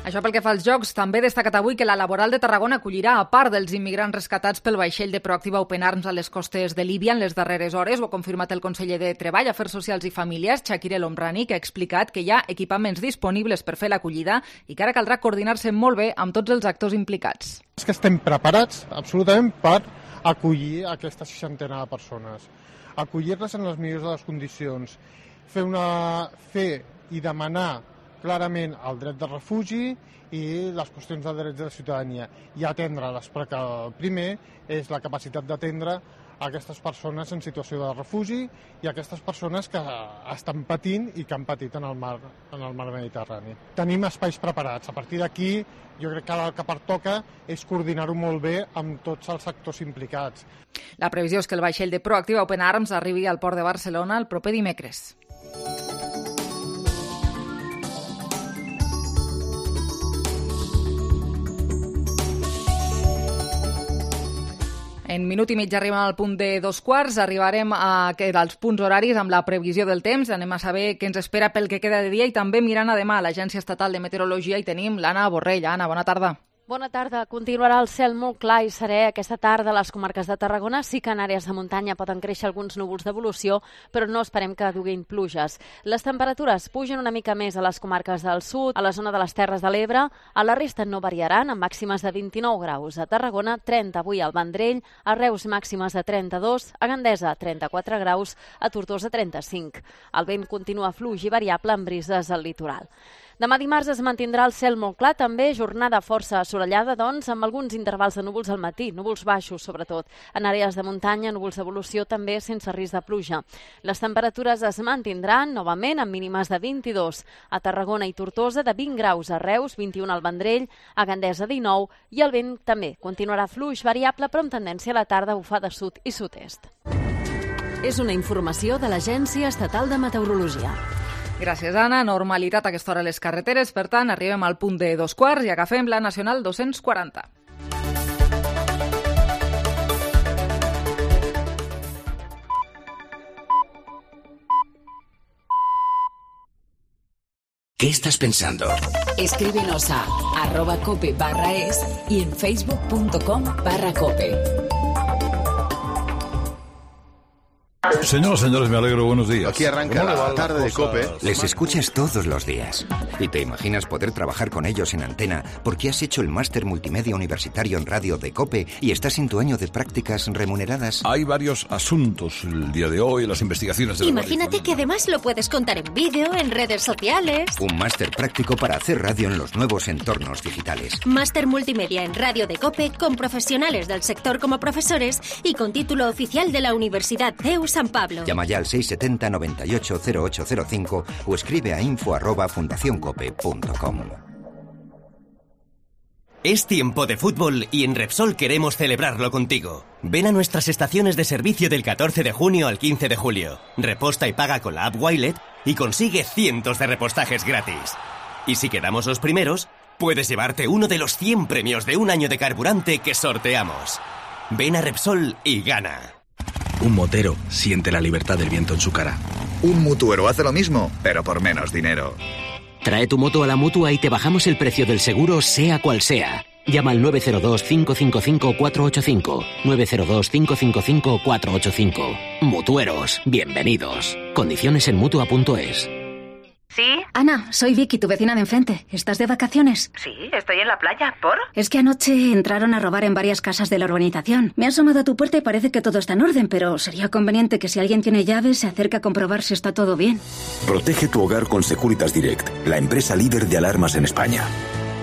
S1: Això pel que fa als Jocs. També ha destacat avui que la Laboral de Tarragona acollirà, a part dels immigrants rescatats pel vaixell de Proactiva Open Arms a les costes de Líbia en les darreres hores. Ho ha confirmat el conseller de Treball, Afers Socials i Famílies, Chakir El Omrani, que ha explicat que hi ha equipaments disponibles per fer l'acollida i que ara caldrà coordinar-se molt bé amb tots els actors implicats.
S20: És que estem preparats absolutament per acollir aquesta 60 de persones, acollir-les en les millors de les condicions, fer i demanar clarament el dret de refugi i les qüestions de drets de la ciutadania i atendre-les, perquè el primer és la capacitat d'atendre aquestes persones en situació de refugi i aquestes persones que estan patint i que han patit en el mar Mediterrani. Tenim espais preparats. A partir d'aquí, jo crec que el que pertoca és coordinar-ho molt bé amb tots els actors implicats.
S1: La previsió és que el vaixell de Proactiva Open Arms arribi al port de Barcelona el proper dimecres. En minut i mig arribem al punt de 2:15, arribarem als punts horaris amb la previsió del temps, anem a saber què ens espera pel que queda de dia i també mirant a demà a l'Agència Estatal de Meteorologia i tenim l'Anna Borrell. Anna, bona tarda.
S6: Bona tarda. Continuarà el cel molt clar i serè aquesta tarda a les comarques de Tarragona. Sí que en àrees de muntanya poden créixer alguns núvols d'evolució, però no esperem que duguin pluges. Les temperatures pugen una mica més a les comarques del sud, a la zona de les Terres de l'Ebre. A la resta no variaran, amb màximes de 29 graus. A Tarragona, 30 avui al Vendrell, a Reus màximes de 32, a Gandesa 34 graus, a Tortosa 35. El vent continua fluix i variable amb brises al litoral. Demà dimarts es mantindrà el cel molt clar, també jornada força assolellada, doncs, amb alguns intervals de núvols al matí, núvols baixos sobretot. En àrees de muntanya, núvols d'evolució també sense risc de pluja. Les temperatures es mantindran novament amb mínimes de 22 a Tarragona i Tortosa, de 20 graus a Reus, 21 al Vendrell, a Gandesa 19 i el vent també continuarà fluix variable però amb tendència a la tarda a bufar de sud i sud-est.
S4: És una informació de l'Agència Estatal de Meteorologia.
S1: Gràcies, Anna. Normalitat a aquesta hora a les carreteres. Per tant, arribem al punt de 2:15 i agafem la Nacional 240.
S7: ¿Qué estás pensando?
S13: Escríbenos a @cope/es y en facebook.com/cope.
S29: Señoras, señores, me alegro. Buenos días.
S14: Aquí arranca la tarde de COPE.
S7: Les escuchas todos los días. Y te imaginas poder trabajar con ellos en antena porque has hecho el máster multimedia universitario en radio de COPE y estás en tu año de prácticas remuneradas.
S29: Hay varios asuntos el día de hoy, las investigaciones de
S15: Imagínate que además lo puedes contar en vídeo, en redes sociales.
S7: Un máster práctico para hacer radio en los nuevos entornos digitales.
S15: Máster multimedia en radio de COPE con profesionales del sector como profesores y con título oficial de la Universidad CEU San Pablo.
S7: Llama ya al 670 98 0805 o escribe a info@fundacioncope.com.
S16: Es tiempo de fútbol y en Repsol queremos celebrarlo contigo. Ven a nuestras estaciones de servicio del 14 de junio al 15 de julio. Reposta y paga con la app Wilet y consigue cientos de repostajes gratis. Y si quedamos los primeros, puedes llevarte uno de los 100 premios de un año de carburante que sorteamos. Ven a Repsol y gana.
S17: Un motero siente la libertad del viento en su cara.
S21: Un mutuero hace lo mismo, pero por menos dinero.
S22: Trae tu moto a la Mutua y te bajamos el precio del seguro sea cual sea. Llama al 902-555-485. 902-555-485. Mutueros, bienvenidos. Condiciones en Mutua.es.
S23: ¿Sí?
S15: Ana, soy Vicky, tu vecina de enfrente. ¿Estás de vacaciones?
S23: Sí, estoy en la playa. ¿Por?
S15: Es que anoche entraron a robar en varias casas de la urbanización. Me he asomado a tu puerta y parece que todo está en orden, pero sería conveniente que si alguien tiene llaves se acerque a comprobar si está todo bien.
S26: Protege tu hogar con Securitas Direct, la empresa líder de alarmas en España.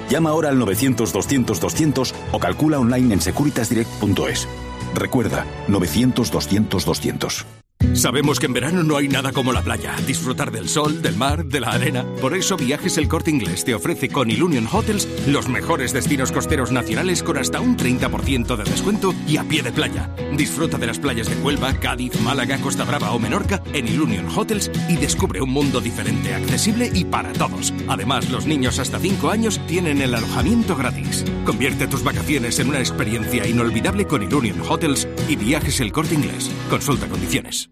S26: Llama ahora al 900-200-200 o calcula online en securitasdirect.es. Recuerda, 900-200-200.
S27: Sabemos que en verano no hay nada como la playa, disfrutar del sol, del mar, de la arena. Por eso Viajes El Corte Inglés te ofrece con Ilunion Hotels los mejores destinos costeros nacionales con hasta un 30% de descuento y a pie de playa. Disfruta de las playas de Huelva, Cádiz, Málaga, Costa Brava o Menorca en Ilunion Hotels y descubre un mundo diferente, accesible y para todos. Además, los niños hasta 5 años tienen el alojamiento gratis. Convierte tus vacaciones en una experiencia inolvidable con Ilunion Hotels y Viajes El Corte Inglés. Consulta condiciones.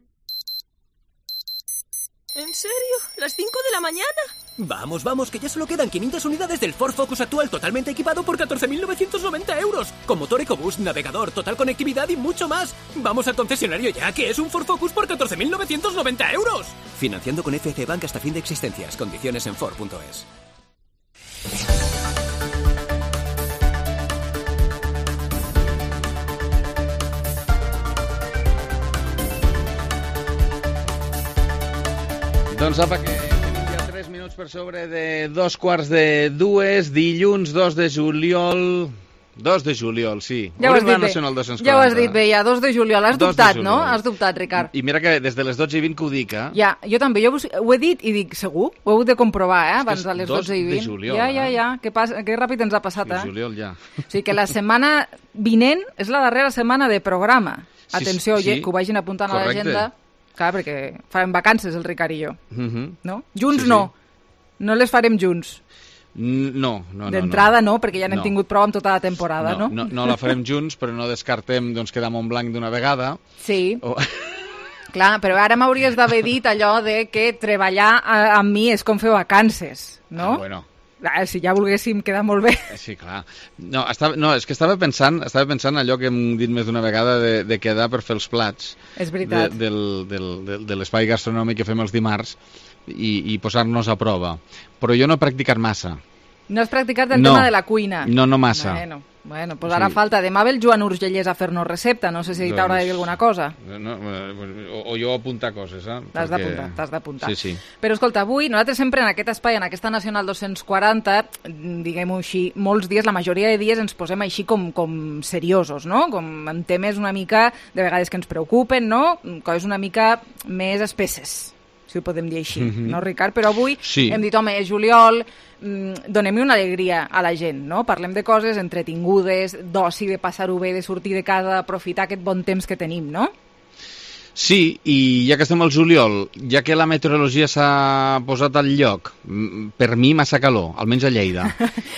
S28: ¿En serio? ¿Las 5 de la mañana?
S33: Vamos, vamos, que ya solo quedan 500 unidades del Ford Focus actual totalmente equipado por 14.990 euros. Con motor EcoBoost, navegador, total conectividad y mucho más. Vamos al concesionario ya, que es un Ford Focus por 14.990 euros. Financiando con FC Bank hasta fin de existencias. Condiciones en Ford.es.
S34: Doncs apa, que tenim ja 3 minuts per sobre de 2:45, dilluns 2 de juliol... 2 de juliol, sí.
S1: Ja ho has dit bé.
S34: Nacional 240.
S1: Ja ho has dit bé, ja, 2 de juliol. Has dubtat, no? Has dubtat, Ricard.
S34: I mira que des de les 12:20 que ho dic, eh?
S1: Ja, jo també. Jo ho he dit i dic, segur? Ho heu de comprovar, abans de les 12:20.
S34: 2 de juliol,
S1: ja. Que ràpid ens ha passat,
S34: De juliol, ja.
S1: O sigui que la setmana vinent és la darrera setmana de programa. Atenció,
S34: sí,
S1: que ho vagin apuntant a l'agenda. Clar, perquè farem vacances el Ricard i jo. No? Junts
S34: sí.
S1: no. No les farem junts.
S34: No.
S1: D'entrada no, perquè ja n'hem tingut prou amb tota la temporada, no?
S34: No la farem junts, però no descartem doncs, quedar en blanc d'una vegada.
S1: Sí. Clar, però ara m'hauries d'haver dit allò de que treballar amb mi és com fer vacances, no?
S34: Bueno.
S1: Si ja volguéssim quedar molt bé.
S34: Sí, clar. No, és que estava pensant allò que hem dit més d'una vegada de quedar per fer els plats.
S1: És veritat.
S34: De l'espai gastronòmic que fem els dimarts i posar-nos a prova. Però jo no he practicat massa.
S1: No has practicat el tema de la cuina?
S34: No massa.
S1: Bueno, pues ara falta. Demà ve el Joan Urgellès a fer-nos recepta. No sé si t'haurà de dir alguna cosa.
S34: O jo apuntar coses, eh?
S1: T'has d'apuntar.
S34: Sí.
S1: Però escolta, avui nosaltres sempre en aquest espai, en aquesta Nacional 240, diguem-ho així, molts dies, la majoria de dies ens posem així com seriosos, no? Com en temes una mica, de vegades que ens preocupen, no? Coses una mica més espesses, si ho podem dir així, no, Ricard? Però avui hem dit, home, és juliol, donem-hi una alegria a la gent, no? Parlem de coses entretingudes, d'oci, de passar-ho bé, de sortir de casa, d'aprofitar aquest bon temps que tenim, no?
S34: Sí, i ja que estem al juliol, ja que la meteorologia s'ha posat al lloc, per mi massa calor, almenys a Lleida.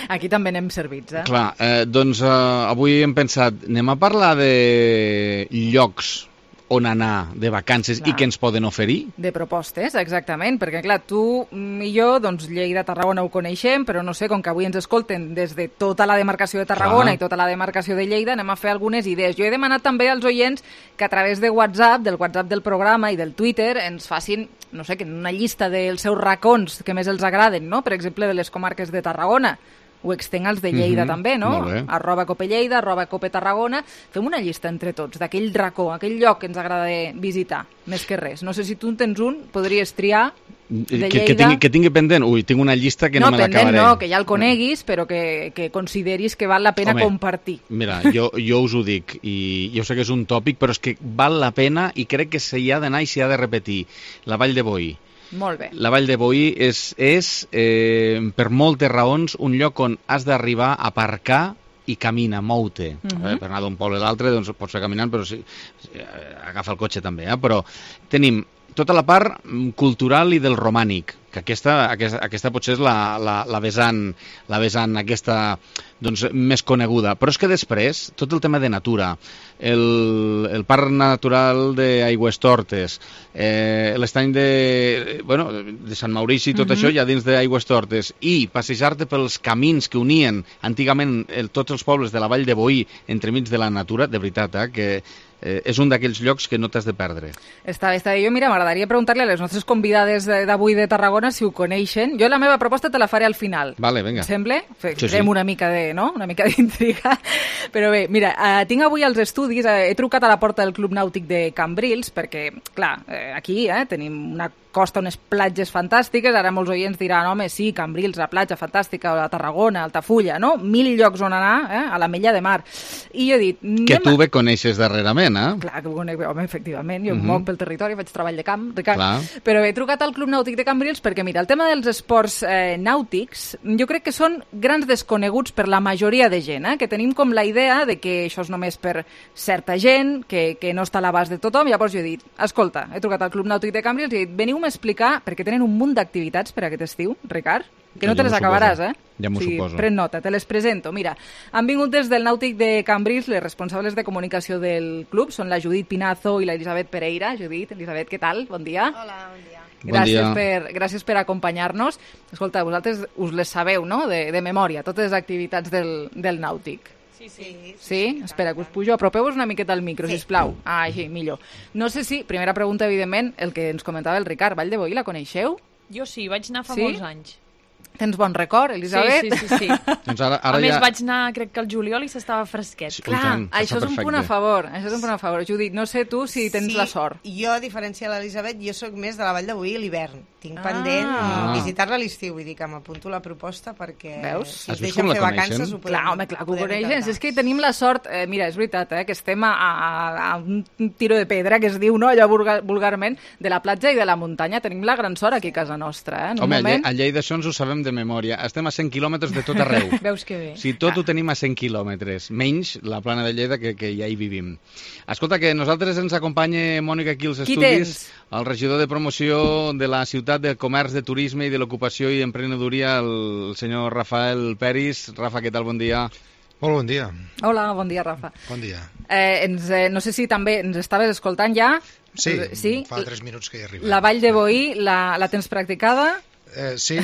S1: Aquí també n'hem servits, eh?
S34: Clar, doncs avui hem pensat, anem a parlar de llocs on anar de vacances i què ens poden oferir?
S1: De propostes, exactament, perquè clar, tu i jo, doncs Lleida, Tarragona ho coneixem, però no sé, com que avui ens escolten des de tota la demarcació de Tarragona i tota la demarcació de Lleida, anem a fer algunes idees. Jo he demanat també als oients que a través de WhatsApp, del WhatsApp del programa i del Twitter, ens facin, no sé, una llista dels seus racons que més els agraden, no? Per exemple, de les comarques de Tarragona. Ho extenc als de Lleida també, no? @copelleida, @copetarragona. Fem una llista entre tots d'aquell racó, aquell lloc que ens agrada visitar, més que res. No sé si tu en tens un, podries triar de Lleida.
S34: Que tingui pendent? Ui, tinc una llista que no me l'acabaré.
S1: No, que ja el coneguis, però que consideris que val la pena compartir.
S34: Mira, jo us ho dic, i jo sé que és un tòpic, però és que val la pena i crec que s'hi ha d'anar i s'hi ha de repetir. La Vall de Boí.
S1: Molt bé.
S34: La Vall de Boí és per moltes raons, un lloc on has d'arribar a aparcar i camina, mou-te. Per anar d'un poble a l'altre, doncs pots ser caminant, però agafa el cotxe també. Però tenim tota la part cultural i del romànic, que aquesta potser és la vessant aquesta doncs, més coneguda. Però és que després, tot el tema de natura, el Parc Natural d'Aigüestortes, l'estany de Sant Maurici i tot això ja dins d'Aigüestortes, i passejar-te pels camins que unien antigament tots els pobles de la Vall de Boí entremig de la natura, de veritat, que és un d'aquells llocs que no t'has de perdre.
S1: Està bé. Jo, mira, m'agradaria preguntar-li a les nostres convidades d'avui de Tarragona si ho coneixen. Jo la meva proposta te la faré al final.
S34: Vale, vinga.
S1: Em sembla? Fem una mica d'intriga. Però bé, mira, tinc avui als estudis, he trucat a la porta del Club Nàutic de Cambrils, perquè, clar, aquí tenim una costa, unes platges fantàstiques. Ara molts oients diran, home, sí, Cambrils, la platja fantàstica, a Tarragona, Altafulla, no? 1000 llocs on anar, a la Mella de Mar. I jo he dit...
S34: Que tu bé coneixes darrerament, eh?
S1: Clar, que ho conec, home, efectivament. Jo em moc pel territori, faig treball de camp, Ricard. Però he trucat al Club Nàutic de Cambrils perquè, mira, el tema dels esports nàutics, jo crec que són grans desconeguts per la majoria de gent, que tenim com la idea de que això és només per certa gent, que no està a l'abast de tothom. Llavors jo he dit, escolta, he trucat al Club Nàutic de Cambrils i he dit, veniu-me a explicar, perquè tenen un munt d'activitats per aquest estiu, Ricard, que no te les acabaràs,
S34: Ja m'ho suposo.
S1: Pren nota, te les presento. Mira, han vingut des del Nàutic de Cambrils les responsables de comunicació del club, són la Judit Pinazo i l'Elisabet Pereira. Judit, Elisabet, què tal? Bon dia.
S2: Hola, bon dia.
S1: Gràcies per acompanyar-nos. Escolta, vosaltres us les sabeu, no?, de memòria, totes les activitats del Nàutic. Sí? Espera, que us pujo. Apropeu-vos una miqueta al micro, sisplau. Així, millor. No sé si, primera pregunta, evidentment, el que ens comentava el Ricard, Vall de Boí, la coneixeu?
S28: Jo sí, vaig anar fa molts anys.
S1: Tens bon record, Elisabet?
S28: Sí.
S34: Doncs ara
S28: a més, vaig anar, crec que al juliol i s'estava fresquet.
S34: Sí,
S1: clar, això és un punt a favor. Judit, no sé tu si tens la sort.
S2: Jo, a diferència de l'Elisabet, jo sóc més de la Vall de Boí a l'hivern. Tinc pendent visitar-la a l'estiu, vull dir que m'apunto la proposta perquè si ens deixen fer vacances ho podem...
S1: Clar, que ho coneixen. És que tenim la sort, mira, és veritat, que estem a un tiro de pedra, que es diu, no, allò vulgarment, de la platja i de la muntanya. Tenim la gran sort aquí a casa nostra.
S34: Home, a Lleida això ens ho sabem de memòria. Estem a 100 quilòmetres de tot arreu.
S1: Veus que bé.
S34: Si tot ho tenim a 100 quilòmetres, menys la plana de Lleida, que ja hi vivim. Escolta, que nosaltres ens acompanya Mònica aquí als estudis, el regidor de promoció de la ciutat de comerç, de turisme i de l'ocupació i emprenedoria, el senyor Rafael Peris. Rafa, què tal? Bon dia.
S3: Molt bon dia.
S1: Hola, bon dia, Rafa.
S3: Bon dia.
S1: No sé si també ens estaves escoltant ja.
S3: Sí, fa 3 minuts que hi arribem.
S1: La Vall de Boí, la tens practicada?
S3: Sí,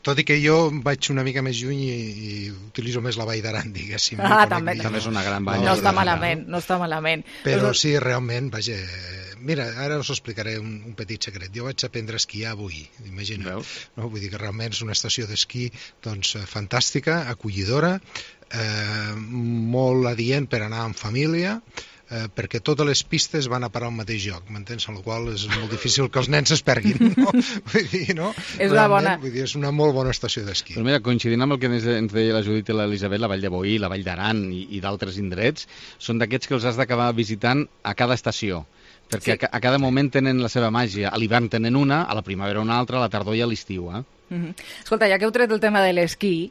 S3: tot i que jo vaig una mica més lluny i utilitzo més la Vall d'Aran, diguéssim.
S1: També
S34: és una gran vall.
S1: No està malament.
S3: Però sí, realment, vaja... Mira, ara us explicaré un petit secret. Jo vaig aprendre a esquiar avui, imagina't. No? Vull dir que realment és una estació d'esquí doncs, fantàstica, acollidora, molt adient per anar en família, perquè totes les pistes van a parar al mateix lloc, m'entens? Amb la qual és molt difícil que els nens es perguin, no? Vull dir, no? És una molt bona estació d'esquí.
S34: Però mira, coincidint amb el que ens deia la Judit i l'Elisabet, la Vall de Boí, la Vall d'Aran i d'altres indrets, són d'aquests que els has d'acabar visitant a cada estació, perquè a cada moment tenen la seva màgia. A l'hivern tenen una, a la primavera una altra, a la tardor i a l'estiu.
S1: Escolta, ja que heu tret el tema de l'esquí,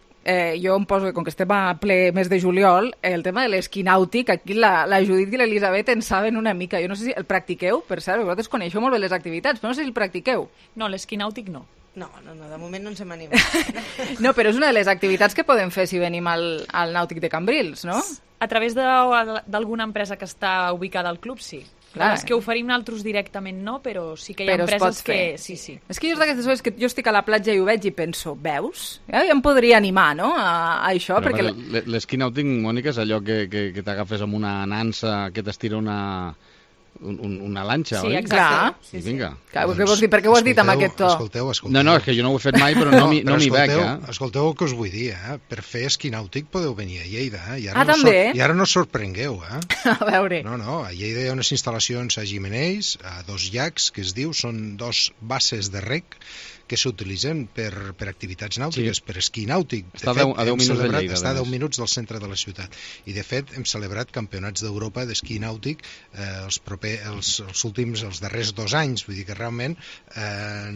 S1: jo em poso, com que estem a ple mes de juliol, el tema de l'esquí nàutic, aquí la Judit i l'Elisabet en saben una mica. Jo no sé si el practiqueu, per cert, vosaltres coneixeu molt bé les activitats, però no sé si el practiqueu.
S28: No, l'esquí nàutic no.
S2: No, de moment no ens hem animat.
S1: No, però és una de les activitats que podem fer si venim al nàutic de Cambrils, no?
S28: A través d'alguna empresa que està ubicada al club, sí. Clar, és que oferim nosaltres directament no, però sí que hi ha empreses que... Sí.
S1: És que jo és d'aquestes coses que jo estic a la platja i ho veig i penso, veus? Ja em podria animar, no?, a això, perquè...
S34: L'esquí nàutic, Mònica, és allò que t'agafes amb una nansa que t'estira una lanxa, oi?
S28: Sí, exacte.
S1: Sí. Vinga. Clar, per què ho has dit amb aquest to?
S3: Escolteu.
S34: No, és que jo no ho he fet mai, però no m'hi veig,
S3: Escolteu el que us vull dir, Per fer esquí nàutic podeu venir a Lleida,
S1: també?
S3: I ara no us sorprengueu,
S1: A veure.
S3: No, a Lleida hi ha unes instal·lacions a Gimenells, a 2 llacs, que es diu, són 2 bases de rec, que s'utilitzen per activitats nàutiques, per esquí nàutic.
S34: Està a 10 minuts de Lleida.
S3: Està a 10 minuts del centre de la ciutat. I, de fet, hem celebrat campionats d'Europa d'esquí nàutic els últims, els darrers 2 anys. Vull dir que realment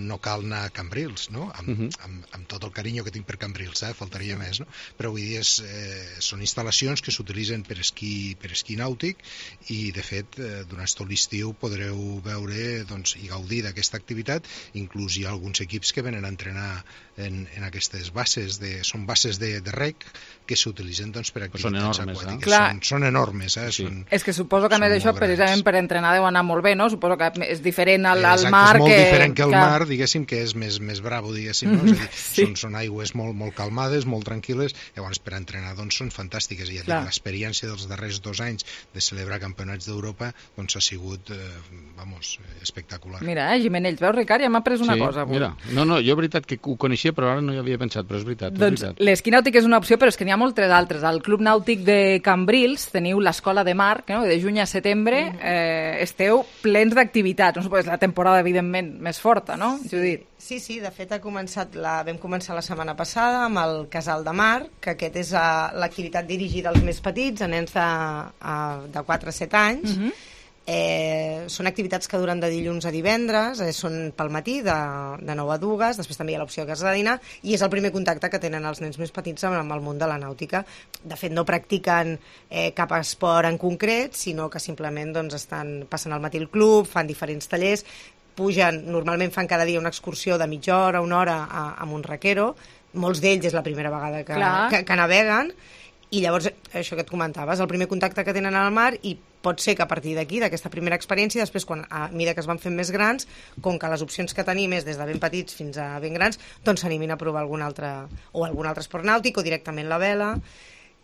S3: no cal anar a Cambrils, no? Amb tot el carinyo que tinc per Cambrils, faltaria més, no? Però vull dir, són instal·lacions que s'utilitzen per esquí nàutic i, de fet, durant tot l'estiu podreu veure i gaudir d'aquesta activitat. Inclús hi ha alguns equips que venen a entrenar en aquestes bases, són bases de rec que s'utilitzen per activitats aquàtiques. Són enormes.
S1: És que suposo que a més d'això, precisament per entrenar deu anar molt bé, no? Suposo que és diferent al mar.
S3: És molt diferent que el mar, diguéssim, que és més bravo, diguéssim, no? És a dir, són aigües molt calmades, molt tranquil·les, llavors per entrenar són fantàstiques. I l'experiència dels darrers 2 anys de celebrar campionats d'Europa ha sigut, espectacular.
S1: Mira, Gimenells, veus, Ricard? Ja m'ha pres una cosa avui.
S34: Mira, no, jo veritat que ho coneixia, però ara no hi havia pensat, però és veritat.
S1: Doncs l'esquí nàutic és una opció, però és que n'hi ha moltes altres. Al Club Nàutic de Cambrils teniu l'Escola de Mar, que de juny a setembre esteu plens d'activitats. No és la temporada, evidentment, més forta, no, Judit?
S2: Sí, de fet vam començar la setmana passada amb el Casal de Mar, que aquest és l'activitat dirigida als més petits, a nens de 4 a 7 anys. Són activitats que duren de dilluns a divendres, són pel matí de 9 a 2, després també hi ha l'opció de casa de dinar, i és el primer contacte que tenen els nens més petits amb el món de la nàutica. De fet, no practiquen cap esport en concret, sinó que simplement passen al matí al club, fan diferents tallers, normalment fan cada dia una excursió de mitja hora, una hora amb un raquero, molts d'ells és la primera vegada que naveguen, i llavors, això que et comentaves, el primer contacte que tenen al mar, i pot ser que a partir d'aquí, d'aquesta primera experiència, després, a mesura que es van fent més grans, com que les opcions que tenim és des de ben petits fins a ben grans, s'animin a provar algun altre esport nàutic o directament la vela.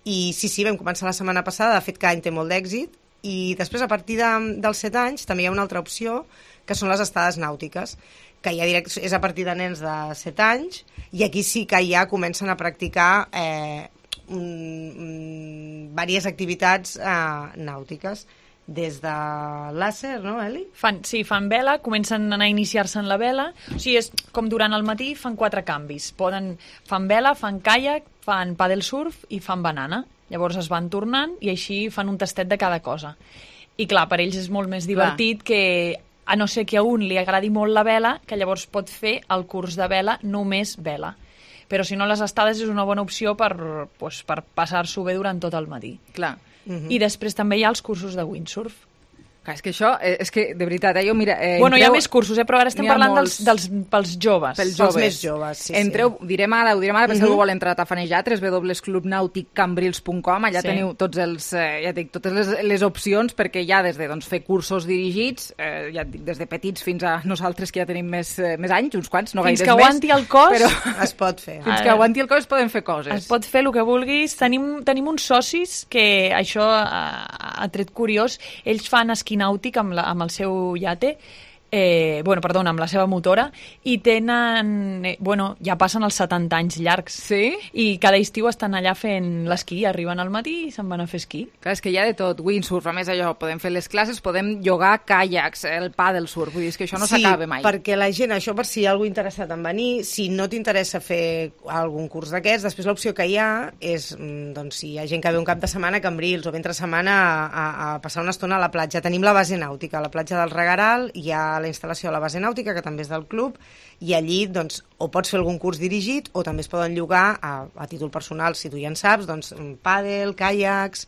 S2: I sí, vam començar la setmana passada, de fet cada any té molt d'èxit, i després a partir dels 7 anys també hi ha una altra opció, que són les estades nàutiques, que ja és a partir de nens de 7 anys, i aquí sí que ja comencen a practicar diverses activitats nàutiques, des de làser, no, Eli?
S28: Fan vela, comencen a iniciar-se en la vela, o sigui, és com durant el matí fan 4 canvis, fan vela, fan caiac, fan paddle surf i fan banana, llavors es van tornant i així fan un tastet de cada cosa. I clar, per ells és molt més divertit que, a no ser que a un li agradi molt la vela, que llavors pot fer el curs de vela només vela. Però si no, les estades és una bona opció per passar-s'ho bé durant tot el matí.
S1: Clar.
S28: I després també hi ha els cursos de windsurf,
S1: Clar, és que això, és que, de veritat, jo, mira...
S28: Bueno, hi ha més cursos, però ara estem parlant pels joves.
S1: Pels
S2: més joves, sí.
S1: Entreu, ho direm ara, per si algú vol entrar a tafanejar, www.clubnauticambrils.com, allà teniu tots els, totes les opcions, perquè hi ha des de fer cursos dirigits, ja dic, des de petits fins a nosaltres, que ja tenim més anys, uns quants, no gaires més.
S28: Fins que aguanti el cos,
S2: però es pot fer.
S1: Fins que aguanti el cos es poden fer coses.
S28: Es pot fer el que vulguis. Tenim uns socis que això ha tret curiós. Ells fan esquí nàutic amb el seu iate, amb la seva motora, i tenen, ja passen els 70 anys llargs.
S1: Sí?
S28: I cada estiu estan allà fent l'esquí, arriben al matí i se'n van a fer esquí.
S1: Clar, és que hi ha de tot, windsurf, a més allò, podem fer les classes, podem llogar caiacs, el paddle surf, vull dir, és que això no s'acaba mai.
S2: Sí, perquè la gent, això per si hi ha algú interessat en venir, si no t'interessa fer algun curs d'aquests, després l'opció que hi ha és, si hi ha gent que ve un cap de setmana a Cambrils o ve entre setmana a passar una estona a la platja, tenim la base nàutica, a la platja del Regaral, hi ha la instal·lació a la base nàutica, que també és del club, i allí o pots fer algun curs dirigit o també es poden llogar a títol personal, si tu ja en saps, pàdel, caiacs...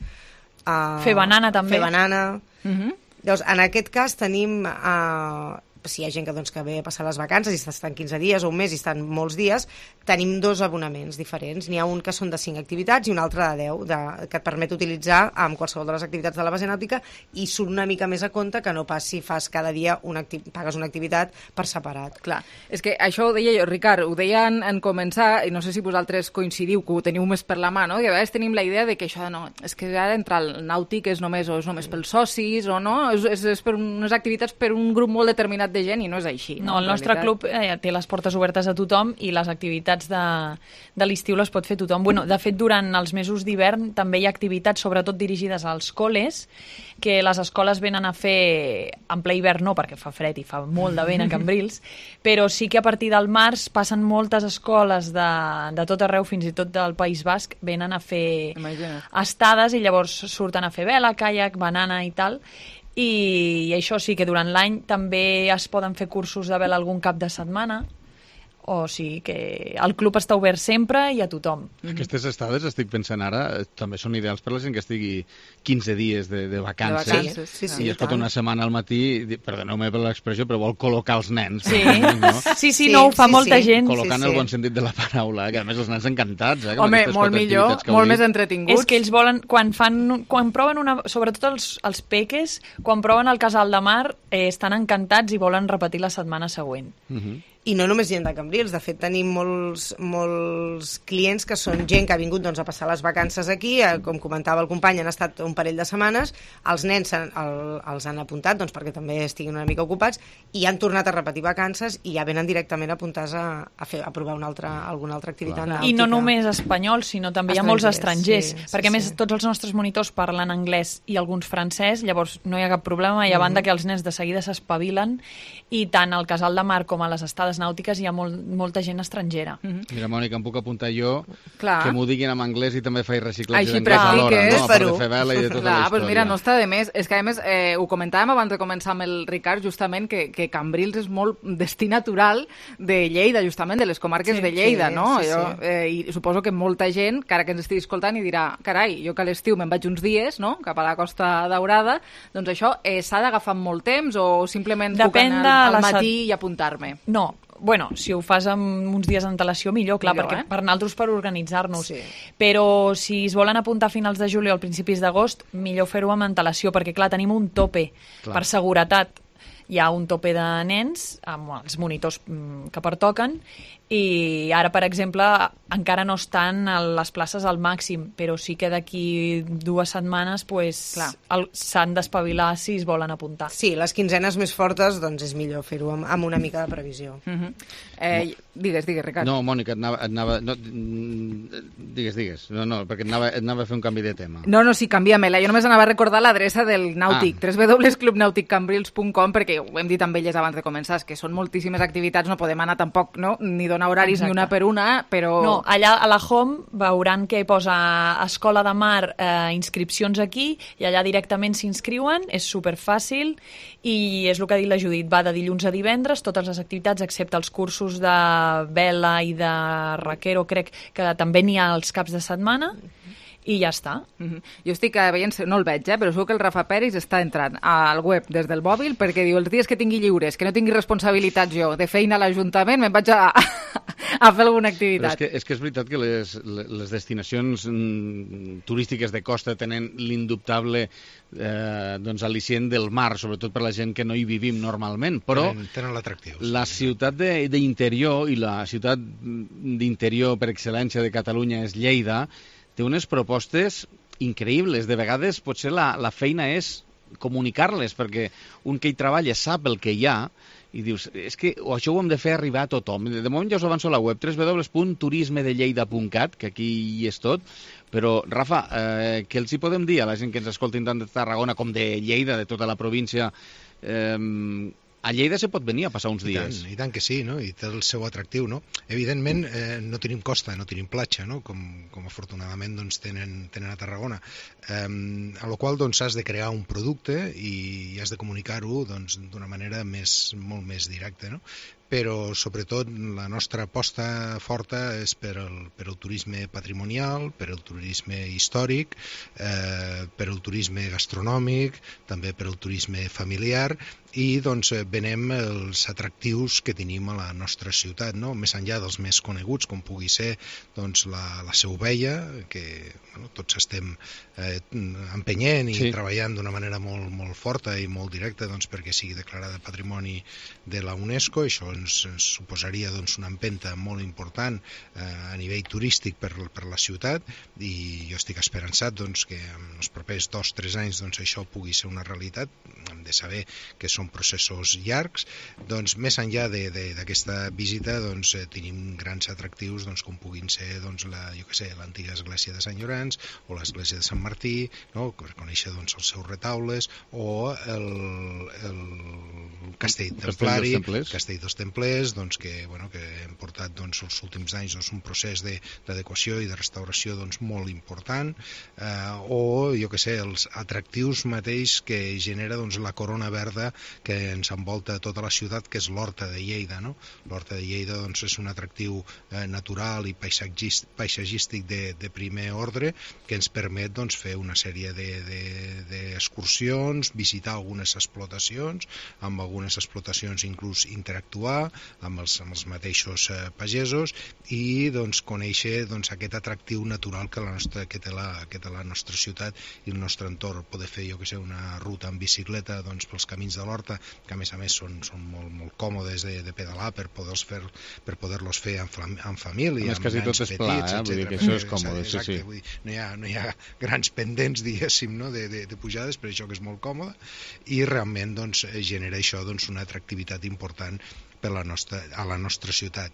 S28: Fer banana també.
S2: Fer banana. Llavors, en aquest cas tenim... si hi ha gent que ve a passar les vacances i estan 15 dies o un mes i estan molts dies, tenim 2 abonaments diferents. N'hi ha un que són de 5 activitats i un altre de 10, que et permet utilitzar amb qualsevol de les activitats de la base nàutica, i surt una mica més a compte que no pas si fas cada dia pagues una activitat per separat.
S1: Clar, és que això ho deia jo, Ricard, ho deia en començar, i no sé si vosaltres coincidiu, que ho teniu més per la mà, no? I a vegades tenim la idea de que això és que ara entrar al nàutic és només pels socis, o no? És per unes activitats per un grup molt determinat de gent, i no és així.
S28: No, el nostre club té les portes obertes a tothom i les activitats de l'estiu les pot fer tothom. De fet, durant els mesos d'hivern també hi ha activitats, sobretot dirigides als col·les, que les escoles venen a fer en ple hivern, no, perquè fa fred i fa molt de vent a Cambrils, però sí que a partir del març passen moltes escoles de tot arreu, fins i tot del País Basc, venen a fer estades i llavors surten a fer vela, caiac, banana i tal. I això sí que durant l'any també es poden fer cursos de vela algun cap de setmana, o sigui que el club està obert sempre i a tothom.
S34: Aquestes estades, estic pensant ara, també són ideals per la gent que estigui 15 dies de vacances, i es pot una setmana al matí, perdoneu-me per l'expressió, però vol col·locar els nens.
S28: Sí, ho fa molta gent.
S34: Col·locant el bon sentit de la paraula, que a més els nens encantats.
S1: Home, molt millor, molt més entretinguts.
S28: És que ells volen, quan proven sobretot els peques, quan proven el Casal de Mar, estan encantats i volen repetir la setmana següent.
S2: I no només gent de Cambrils, de fet tenim molts clients que són gent que ha vingut a passar les vacances aquí, com comentava el company, han estat un parell de setmanes, els nens els han apuntat perquè també estiguin una mica ocupats, i han tornat a repetir vacances i ja venen directament apuntats a provar alguna altra activitat nàutica.
S28: I no només espanyols, sinó també hi ha molts estrangers, perquè a més tots els nostres monitors parlen anglès i alguns francès, llavors no hi ha cap problema, i a banda que els nens de seguida s'espavilen, i tant al Casal de Mar com a les estades nàutiques hi ha molta gent estrangera.
S34: Mira, Mònica, em puc apuntar jo que m'ho diguin en anglès i també faig reciclatge d'anglès
S1: alhora,
S34: no? A part de fer vela i de tota la història.
S1: Doncs mira, no està de més. És que, a més, ho comentàvem abans de començar amb el Ricard, justament, que Cambrils és molt destí natural de Lleida, justament, de les comarques de Lleida, no? I suposo que molta gent, que ara que ens estigui escoltant, i dirà, carai, jo que a l'estiu me'n vaig uns dies, no?, cap a la Costa Daurada, doncs això s'ha d'agafar molt temps o simplement puc anar al matí i apuntar-me?
S28: No, si ho fas amb uns dies d'antelació, millor, clar, perquè per nosaltres per organitzar-nos. Però si es volen apuntar a finals de juliol o principis d'agost, millor fer-ho amb antelació, perquè, clar, tenim un tope per seguretat. Hi ha un tope de nens amb els monitors que pertoquen, i ara, per exemple, encara no estan les places al màxim, però sí que d'aquí 2 setmanes s'han d'espavilar si es volen apuntar.
S2: Sí, les quinzenes més fortes és millor fer-ho amb una mica de previsió.
S1: Digues, Ricard.
S34: No, Mònica, digues. No, perquè et anava a fer un canvi de tema.
S1: No, sí, canvia-me-la. Jo només anava a recordar l'adreça del Nàutic, www.clubnauticambrils.com, perquè ho hem dit amb elles abans de començar, que són moltíssimes activitats, no podem anar tampoc, no?, ni donar horaris ni una per una, però...
S28: No, allà a la home veuran que posa Escola de Mar, inscripcions aquí, i allà directament s'inscriuen, és superfàcil, i és el que ha dit la Judit, va de dilluns a divendres, totes les activitats, excepte els cursos de vela i de raquero, crec que també n'hi ha els caps de setmana, i ja està.
S1: Jo estic veient, no el veig, però segur que el Rafa Peris està entrant al web des del mòbil perquè diu, els dies que tingui lliures, que no tingui responsabilitats jo de feina a l'Ajuntament, me'n vaig a fer alguna activitat.
S34: Però és que és veritat que les destinacions turístiques de costa tenen l'indubtable al·licient del mar, sobretot per la gent que no hi vivim normalment, però
S3: tenen l'atractiu.
S34: La ciutat d'interior i la ciutat d'interior per excel·lència de Catalunya és Lleida, té unes propostes increïbles. De vegades potser la feina és comunicar-les, perquè un que hi treballa sap el que hi ha i dius, és que això ho hem de fer arribar a tothom. De moment ja us avanço a la web, www.turismedelleida.cat, que aquí hi és tot, però, Rafa, què els hi podem dir a la gent que ens escoltin tant de Tarragona com de Lleida, de tota la província? A Lleida se pot venir a passar uns dies.
S3: I tant que sí, no? I té el seu atractiu, no? Evidentment, no tenim costa, no tenim platja, no? Com afortunadament doncs, tenen a Tarragona. A la qual doncs, has de crear un producte i has de comunicar-ho doncs, d'una manera molt més directa, no? Però sobretot la nostra aposta forta és per el turisme patrimonial, per el turisme històric, per el turisme gastronòmic, també per el turisme familiar, i doncs venem els atractius que tenim a la nostra ciutat, no? Més enllà dels més coneguts, com pugui ser doncs, la Seu Vella, que tots estem empenyent i treballant d'una manera molt forta i molt directa doncs, perquè sigui declarada Patrimoni de la UNESCO. Això ens suposaria doncs, una empenta molt important a nivell turístic per la ciutat, i jo estic esperançat doncs, que en els propers 2-3 anys doncs, això pugui ser una realitat. Hem de saber que són processos llargs. Doncs, més enllà d'aquesta visita doncs, tenim grans atractius doncs, com puguin ser doncs, l'antiga església de Sant Llorenç o l'església de Sant Martí, no? Per conèixer doncs, els seus retaules, o el castell templari, Castell dels Templers, doncs, que hem portat doncs, els últims anys doncs, un procés d'adequació i de restauració doncs, molt important, o jo que sé, els atractius mateix que genera doncs, la corona verda que ens envolta tota la ciutat, que és l'Horta de Lleida, no? L'Horta de Lleida doncs, és un atractiu natural i paisatgístic de primer ordre, que ens permet doncs, fer una sèrie d'excursions, visitar algunes explotacions, amb algunes explotacions inclús interactuar amb els mateixos pagesos i doncs, conèixer doncs, aquest atractiu natural que té la nostra ciutat i el nostre entorn. Poder fer, jo que sé, una ruta en bicicleta doncs, pels camins de l'Horta, que a més són molt còmodes de pedalar per poder-los fer en família, amb nens petits,
S34: vull dir que això és còmode.
S3: Exacte, vull dir, no hi ha grans pendents, diguéssim, no? de pujades, per això que és molt còmode, i realment doncs, genera això doncs, una atractivitat important a la nostra ciutat.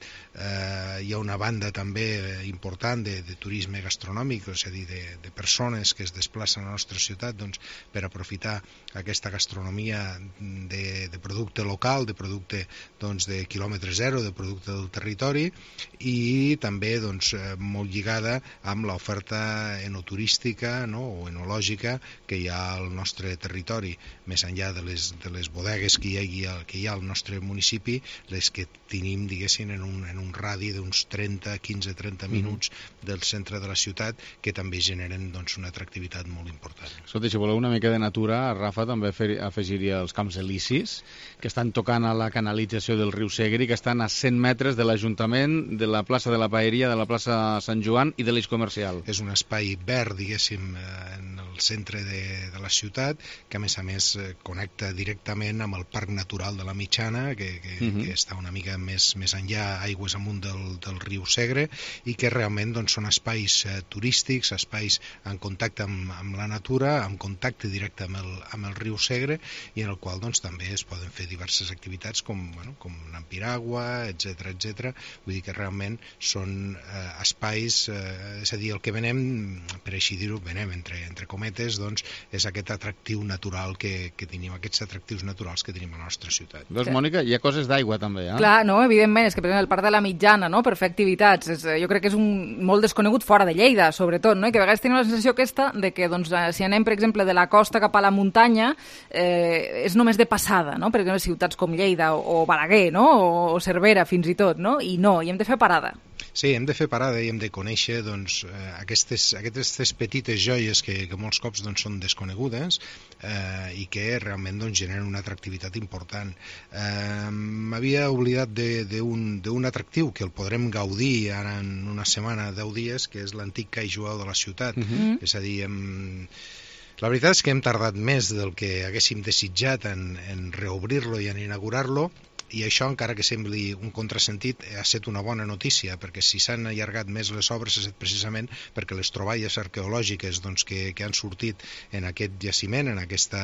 S3: Hi ha una banda també important de turisme gastronòmic, és a dir, de persones que es desplacen a la nostra ciutat doncs, per aprofitar aquesta gastronomia de producte local, de producte doncs, de quilòmetre zero, de producte del territori, i també doncs, molt lligada amb l'oferta enoturística, no? O enològica que hi ha al nostre territori, més enllà de les bodegues que hi ha al nostre municipi, les que tenim, diguéssim, en un radi d'uns 15-30 minuts del centre de la ciutat, que també generen doncs, una atractivitat molt important.
S34: Escolta, si voleu una mica de natura, Rafa també afegiria els Camps Elisis, que estan tocant a la canalització del riu Segre, que estan a 100 metres de l'Ajuntament, de la plaça de la Paeria, de la plaça Sant Joan i de l'Eix Comercial.
S3: És un espai verd, diguéssim, en el centre de la ciutat, que a més connecta directament amb el Parc Natural de la Mitjana, que està una mica més enllà, aigües amunt del riu Segre, i que realment doncs, són espais turístics, espais en contacte amb la natura, en contacte directe amb el riu Segre, i en el qual doncs, també es poden fer diverses activitats com anar amb piragua, etc. Vull dir que realment són espais, és a dir, el que venem, per així dir-ho, entre cometes, doncs, és aquest atractiu natural que tenim, aquests atractius naturals que tenim a la nostra ciutat.
S34: Doncs, Mònica, hi ha coses d'aigua també, eh?
S1: Clar, no, evidentment, és que per exemple el Parc de la Mitjana, no?, per fer activitats, jo crec que és molt desconegut fora de Lleida, sobretot, no?, i que a vegades tenim la sensació aquesta de que, doncs, si anem, per exemple, de la costa cap a la muntanya, és només de passada, no?, per exemple, ciutats com Lleida o Balaguer, no?, o Cervera, fins i tot, no?, i no, hi hem de fer parada.
S3: Sí, hem de fer parada i hem de conèixer doncs, aquestes petites joies que molts cops doncs, són desconegudes i que realment doncs, generen una atractivitat important. M'havia oblidat d'un atractiu que el podrem gaudir ara en una setmana, 10 dies, que és l'antic call jueu de la ciutat. És a dir, la veritat és que hem tardat més del que haguéssim desitjat en reobrir-lo i en inaugurar-lo, i això, encara que sembli un contrasentit, ha estat una bona notícia, perquè si s'han allargat més les obres ha estat precisament perquè les troballes arqueològiques doncs, que han sortit en aquest jaciment, en aquest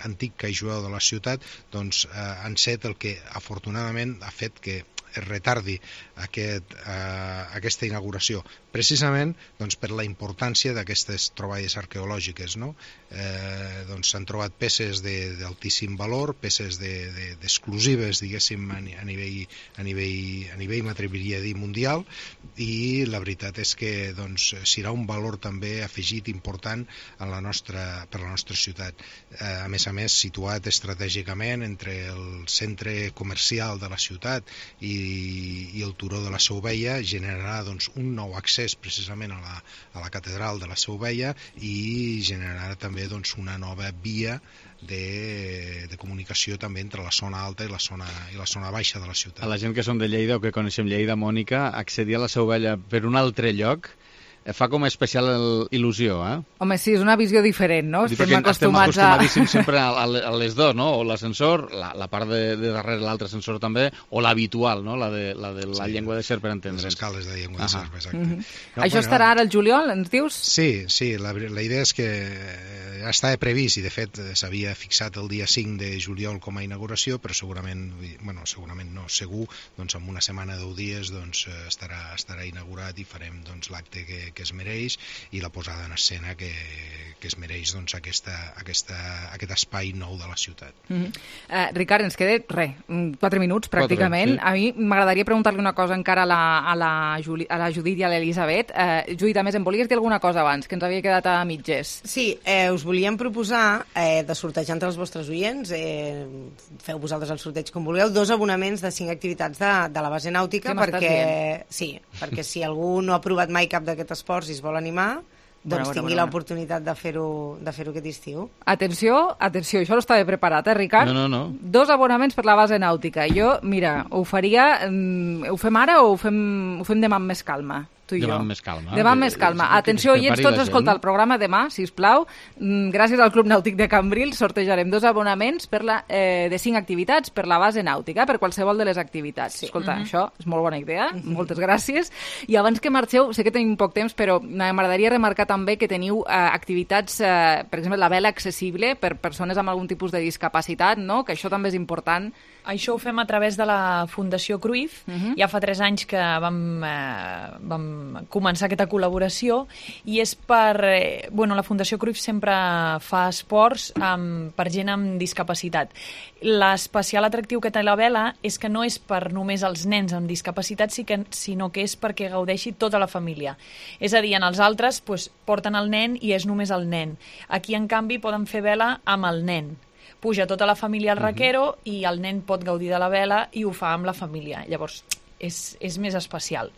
S3: antic call jueu de la ciutat, doncs, han set el que afortunadament ha fet que es retardi aquesta inauguració, precisament doncs, per la importància d'aquestes troballes arqueològiques. No? Doncs s'han trobat peces d'altíssim valor, peces exclusives, diguéssim, a nivell m'atreviria a dir mundial, i la veritat és que doncs, serà un valor també afegit important per la nostra ciutat. A més, situat estratègicament entre el centre comercial de la ciutat i el turó de la Seu Vella, generarà doncs, un nou accés precisament a la catedral de la Seu Vella i generarà també doncs, una nova via de comunicació també entre la zona alta i la zona baixa de la ciutat.
S34: A la gent que som de Lleida o que coneixem Lleida, Mònica, accedir a la Seu Vella per un altre lloc fa com especial il·lusió, eh?
S1: Home, sí, és una visió diferent, no?
S34: Estem acostumadíssims sempre a les dues, no? O l'ascensor, la part de darrere l'altre ascensor també, o l'habitual, no? La de la llengua de serp, per entendre'ns.
S3: Les escales de llengua de serp, exacte.
S1: Això estarà ara al juliol, ens dius?
S3: Sí, la idea és que ja estava previst i de fet s'havia fixat el dia 5 de juliol com a inauguració, però segur, doncs en una setmana, 10 dies, doncs estarà inaugurat i farem doncs l'acte que es mereix i la posada en escena que es mereix doncs, aquest espai nou de la ciutat.
S1: Ricard, ens queda 4 minuts pràcticament. 4, sí. A mi m'agradaria preguntar-li una cosa encara a la Judit i a l'Elisabet. Judit, a més, em volies dir alguna cosa abans, que ens havia quedat a mitges.
S2: Sí, us volíem proposar de sortejar entre els vostres oients, feu vosaltres el sorteig com vulgueu, 2 abonaments de 5 activitats de la base nàutica, perquè si algú no ha provat mai cap d'aquests esports i es vol animar, doncs tingui l'oportunitat de fer-ho aquest estiu.
S1: Atenció, això no estava preparat, Ricard?
S34: No.
S1: 2 abonaments per la base nàutica. Jo, mira, ho fem ara o ho fem demà amb més calma?
S34: Demà amb més calma.
S1: Demà amb més calma. Atenció, oients, tots a escoltar el programa demà, sisplau. Gràcies al Club Nàutic de Cambrils sortejarem 2 abonaments de 5 activitats per la base nàutica, per qualsevol de les activitats. Sí. Escolta, això és molt bona idea, moltes gràcies. I abans que marxeu, sé que tenim poc temps, però m'agradaria remarcar també que teniu activitats, per exemple, la vela accessible per persones amb algun tipus de discapacitat, no? Que això també és important.
S28: Això ho fem a través de la Fundació Cruyff. Ja fa 3 anys que vam començar aquesta col·laboració i és la Fundació Cruyff sempre fa esports per gent amb discapacitat. L'especial atractiu que té la vela és que no és per només els nens amb discapacitat, sinó que és perquè gaudeixi tota la família. És a dir, en els altres porten el nen i és només el nen. Aquí, en canvi, poden fer vela amb el nen. Puja tota la família al raquero i el nen pot gaudir de la vela i ho fa amb la família. Llavors, és més especial.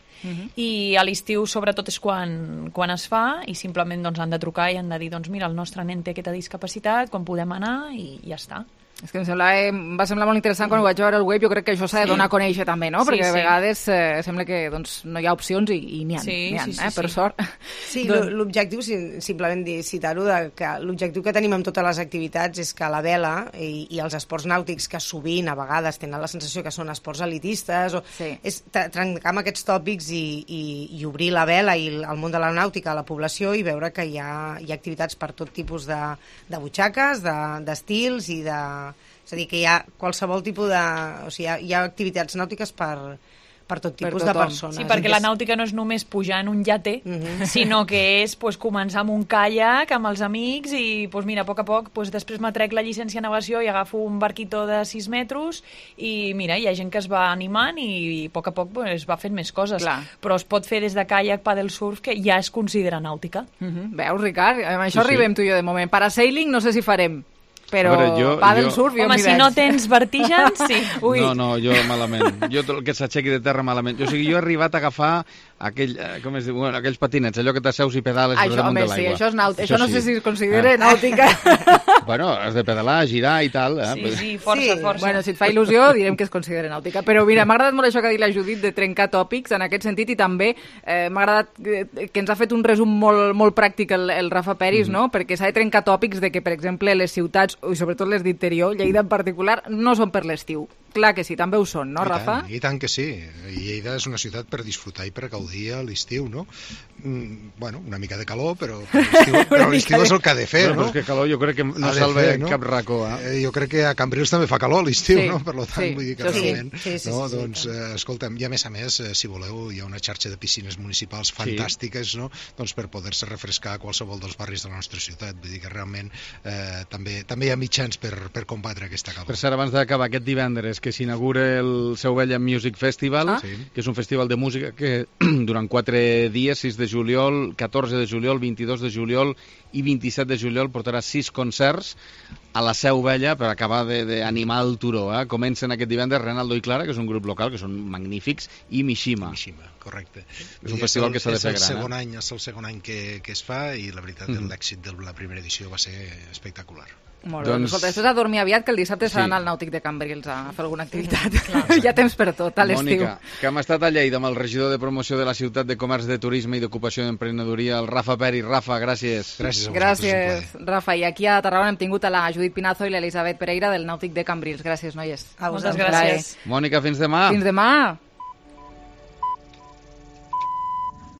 S28: I a l'estiu, sobretot, és quan es fa i simplement han de trucar i han de dir mira, el nostre nen té aquesta discapacitat, com podem anar i ja està.
S1: És que va semblar molt interessant quan ho vaig veure al web. Jo crec que això s'ha de donar a conèixer també, no? Perquè a vegades sembla que no hi ha opcions i n'hi ha, per sort.
S2: Sí, l'objectiu, simplement citar-ho, que l'objectiu que tenim amb totes les activitats és que la vela i els esports nàutics, que sovint a vegades tenen la sensació que són esports elitistes, és trencar amb aquests tòpics i obrir la vela i el món de la nàutica a la població i veure que hi ha activitats per tot tipus de butxaques, d'estils i de... És a dir, que hi ha qualsevol tipus de... O sigui, hi ha activitats nàutiques per tot tipus de persones.
S28: Sí, perquè la nàutica no és només pujar en un iate, sinó que és començar amb un caiac, amb els amics, i mira, a poc després m'atrec la llicència de navegació i agafo un barquito de 6 metres i mira, hi ha gent que es va animant i a poc es va fent més coses.
S1: Clar.
S28: Però es pot fer des de caiac, paddle surf, que ja es considera nàutica.
S1: Veus, Ricard? Amb això arribem tu i jo de moment. Parasailing no sé si farem. però pàdel surf jo
S28: home,
S1: m'hi
S28: si
S1: veig.
S28: no tens vertigens, sí.
S1: Ui.
S34: No, jo malament. Jo tot el que s'aixequi de terra malament. O sigui, jo he arribat a agafar aquells patinets, allò que t'asseus i pedales per damunt de l'aigua.
S1: Sí, això és nàutica. Això no sé si es considera nàutica.
S34: Bueno, has de pedalar, girar i tal.
S28: Sí, força.
S1: Bueno, si et fa il·lusió, direm que es considera nàutica. Però mira, m'ha agradat molt això que ha dit la Judit de trencar tòpics en aquest sentit i també m'ha agradat que ens ha fet un resum molt pràctic el Rafa Peris, no? Perquè s'ha de trencar tòpics de que, per exemple, les ciutats, i sobretot les d'interior, Lleida en particular, no són per l'estiu. Clar que sí, també ho són, no, Rafa?
S3: I tant que sí. Lleida és una ciutat per disfrutar i per gaudir a l'estiu, no? Bueno, una mica de calor, però l'estiu és el que ha de fer, no?
S34: Però és que calor jo crec que no salva cap racó.
S3: Jo crec que a Cambrils també fa calor a l'estiu, no? Per tant, vull dir que
S1: realment...
S3: Doncs, escolta'm, i a més, si voleu, hi ha una xarxa de piscines municipals fantàstiques, no? Doncs per poder-se refrescar a qualsevol dels barris de la nostra ciutat. Vull dir que realment també hi ha mitjans per combatre aquesta calor.
S34: Per cert, abans d'acabar aquest divendres, que s'inaugura el Seu Vella Music Festival, que és un festival de música que durant 4 dies, 6 de juliol, 14 de juliol, 22 de juliol i 27 de juliol portarà 6 concerts a la Seu Vella per acabar d'animar el turó. Comencen aquest divendres Renaldo i Clara, que és un grup local, que són magnífics, i Mishima.
S3: Correcte.
S34: És un festival que s'ha de fer gran.
S3: És el segon any que es fa i la veritat l'èxit de la primera edició va ser espectacular.
S1: Molt bé. Escolta, després a dormir aviat, que el dissabte s'ha d'anar al Nàutic de Cambrils a fer alguna activitat. Hi ha temps per tot, a l'estiu.
S34: Mònica, que hem estat a Lleida amb el regidor de promoció de la ciutat de comerç, de turisme i d'ocupació i d'emprenedoria, el Rafa Peris. Rafa, gràcies.
S1: Gràcies, Rafa. I aquí a Tarragona hem tingut a la Judit Pinazo i l'Elisabet Pereira del Nàutic de Cambrils. Gràcies, noies.
S28: Moltes gràcies.
S34: Mònica, fins demà.
S1: Fins demà.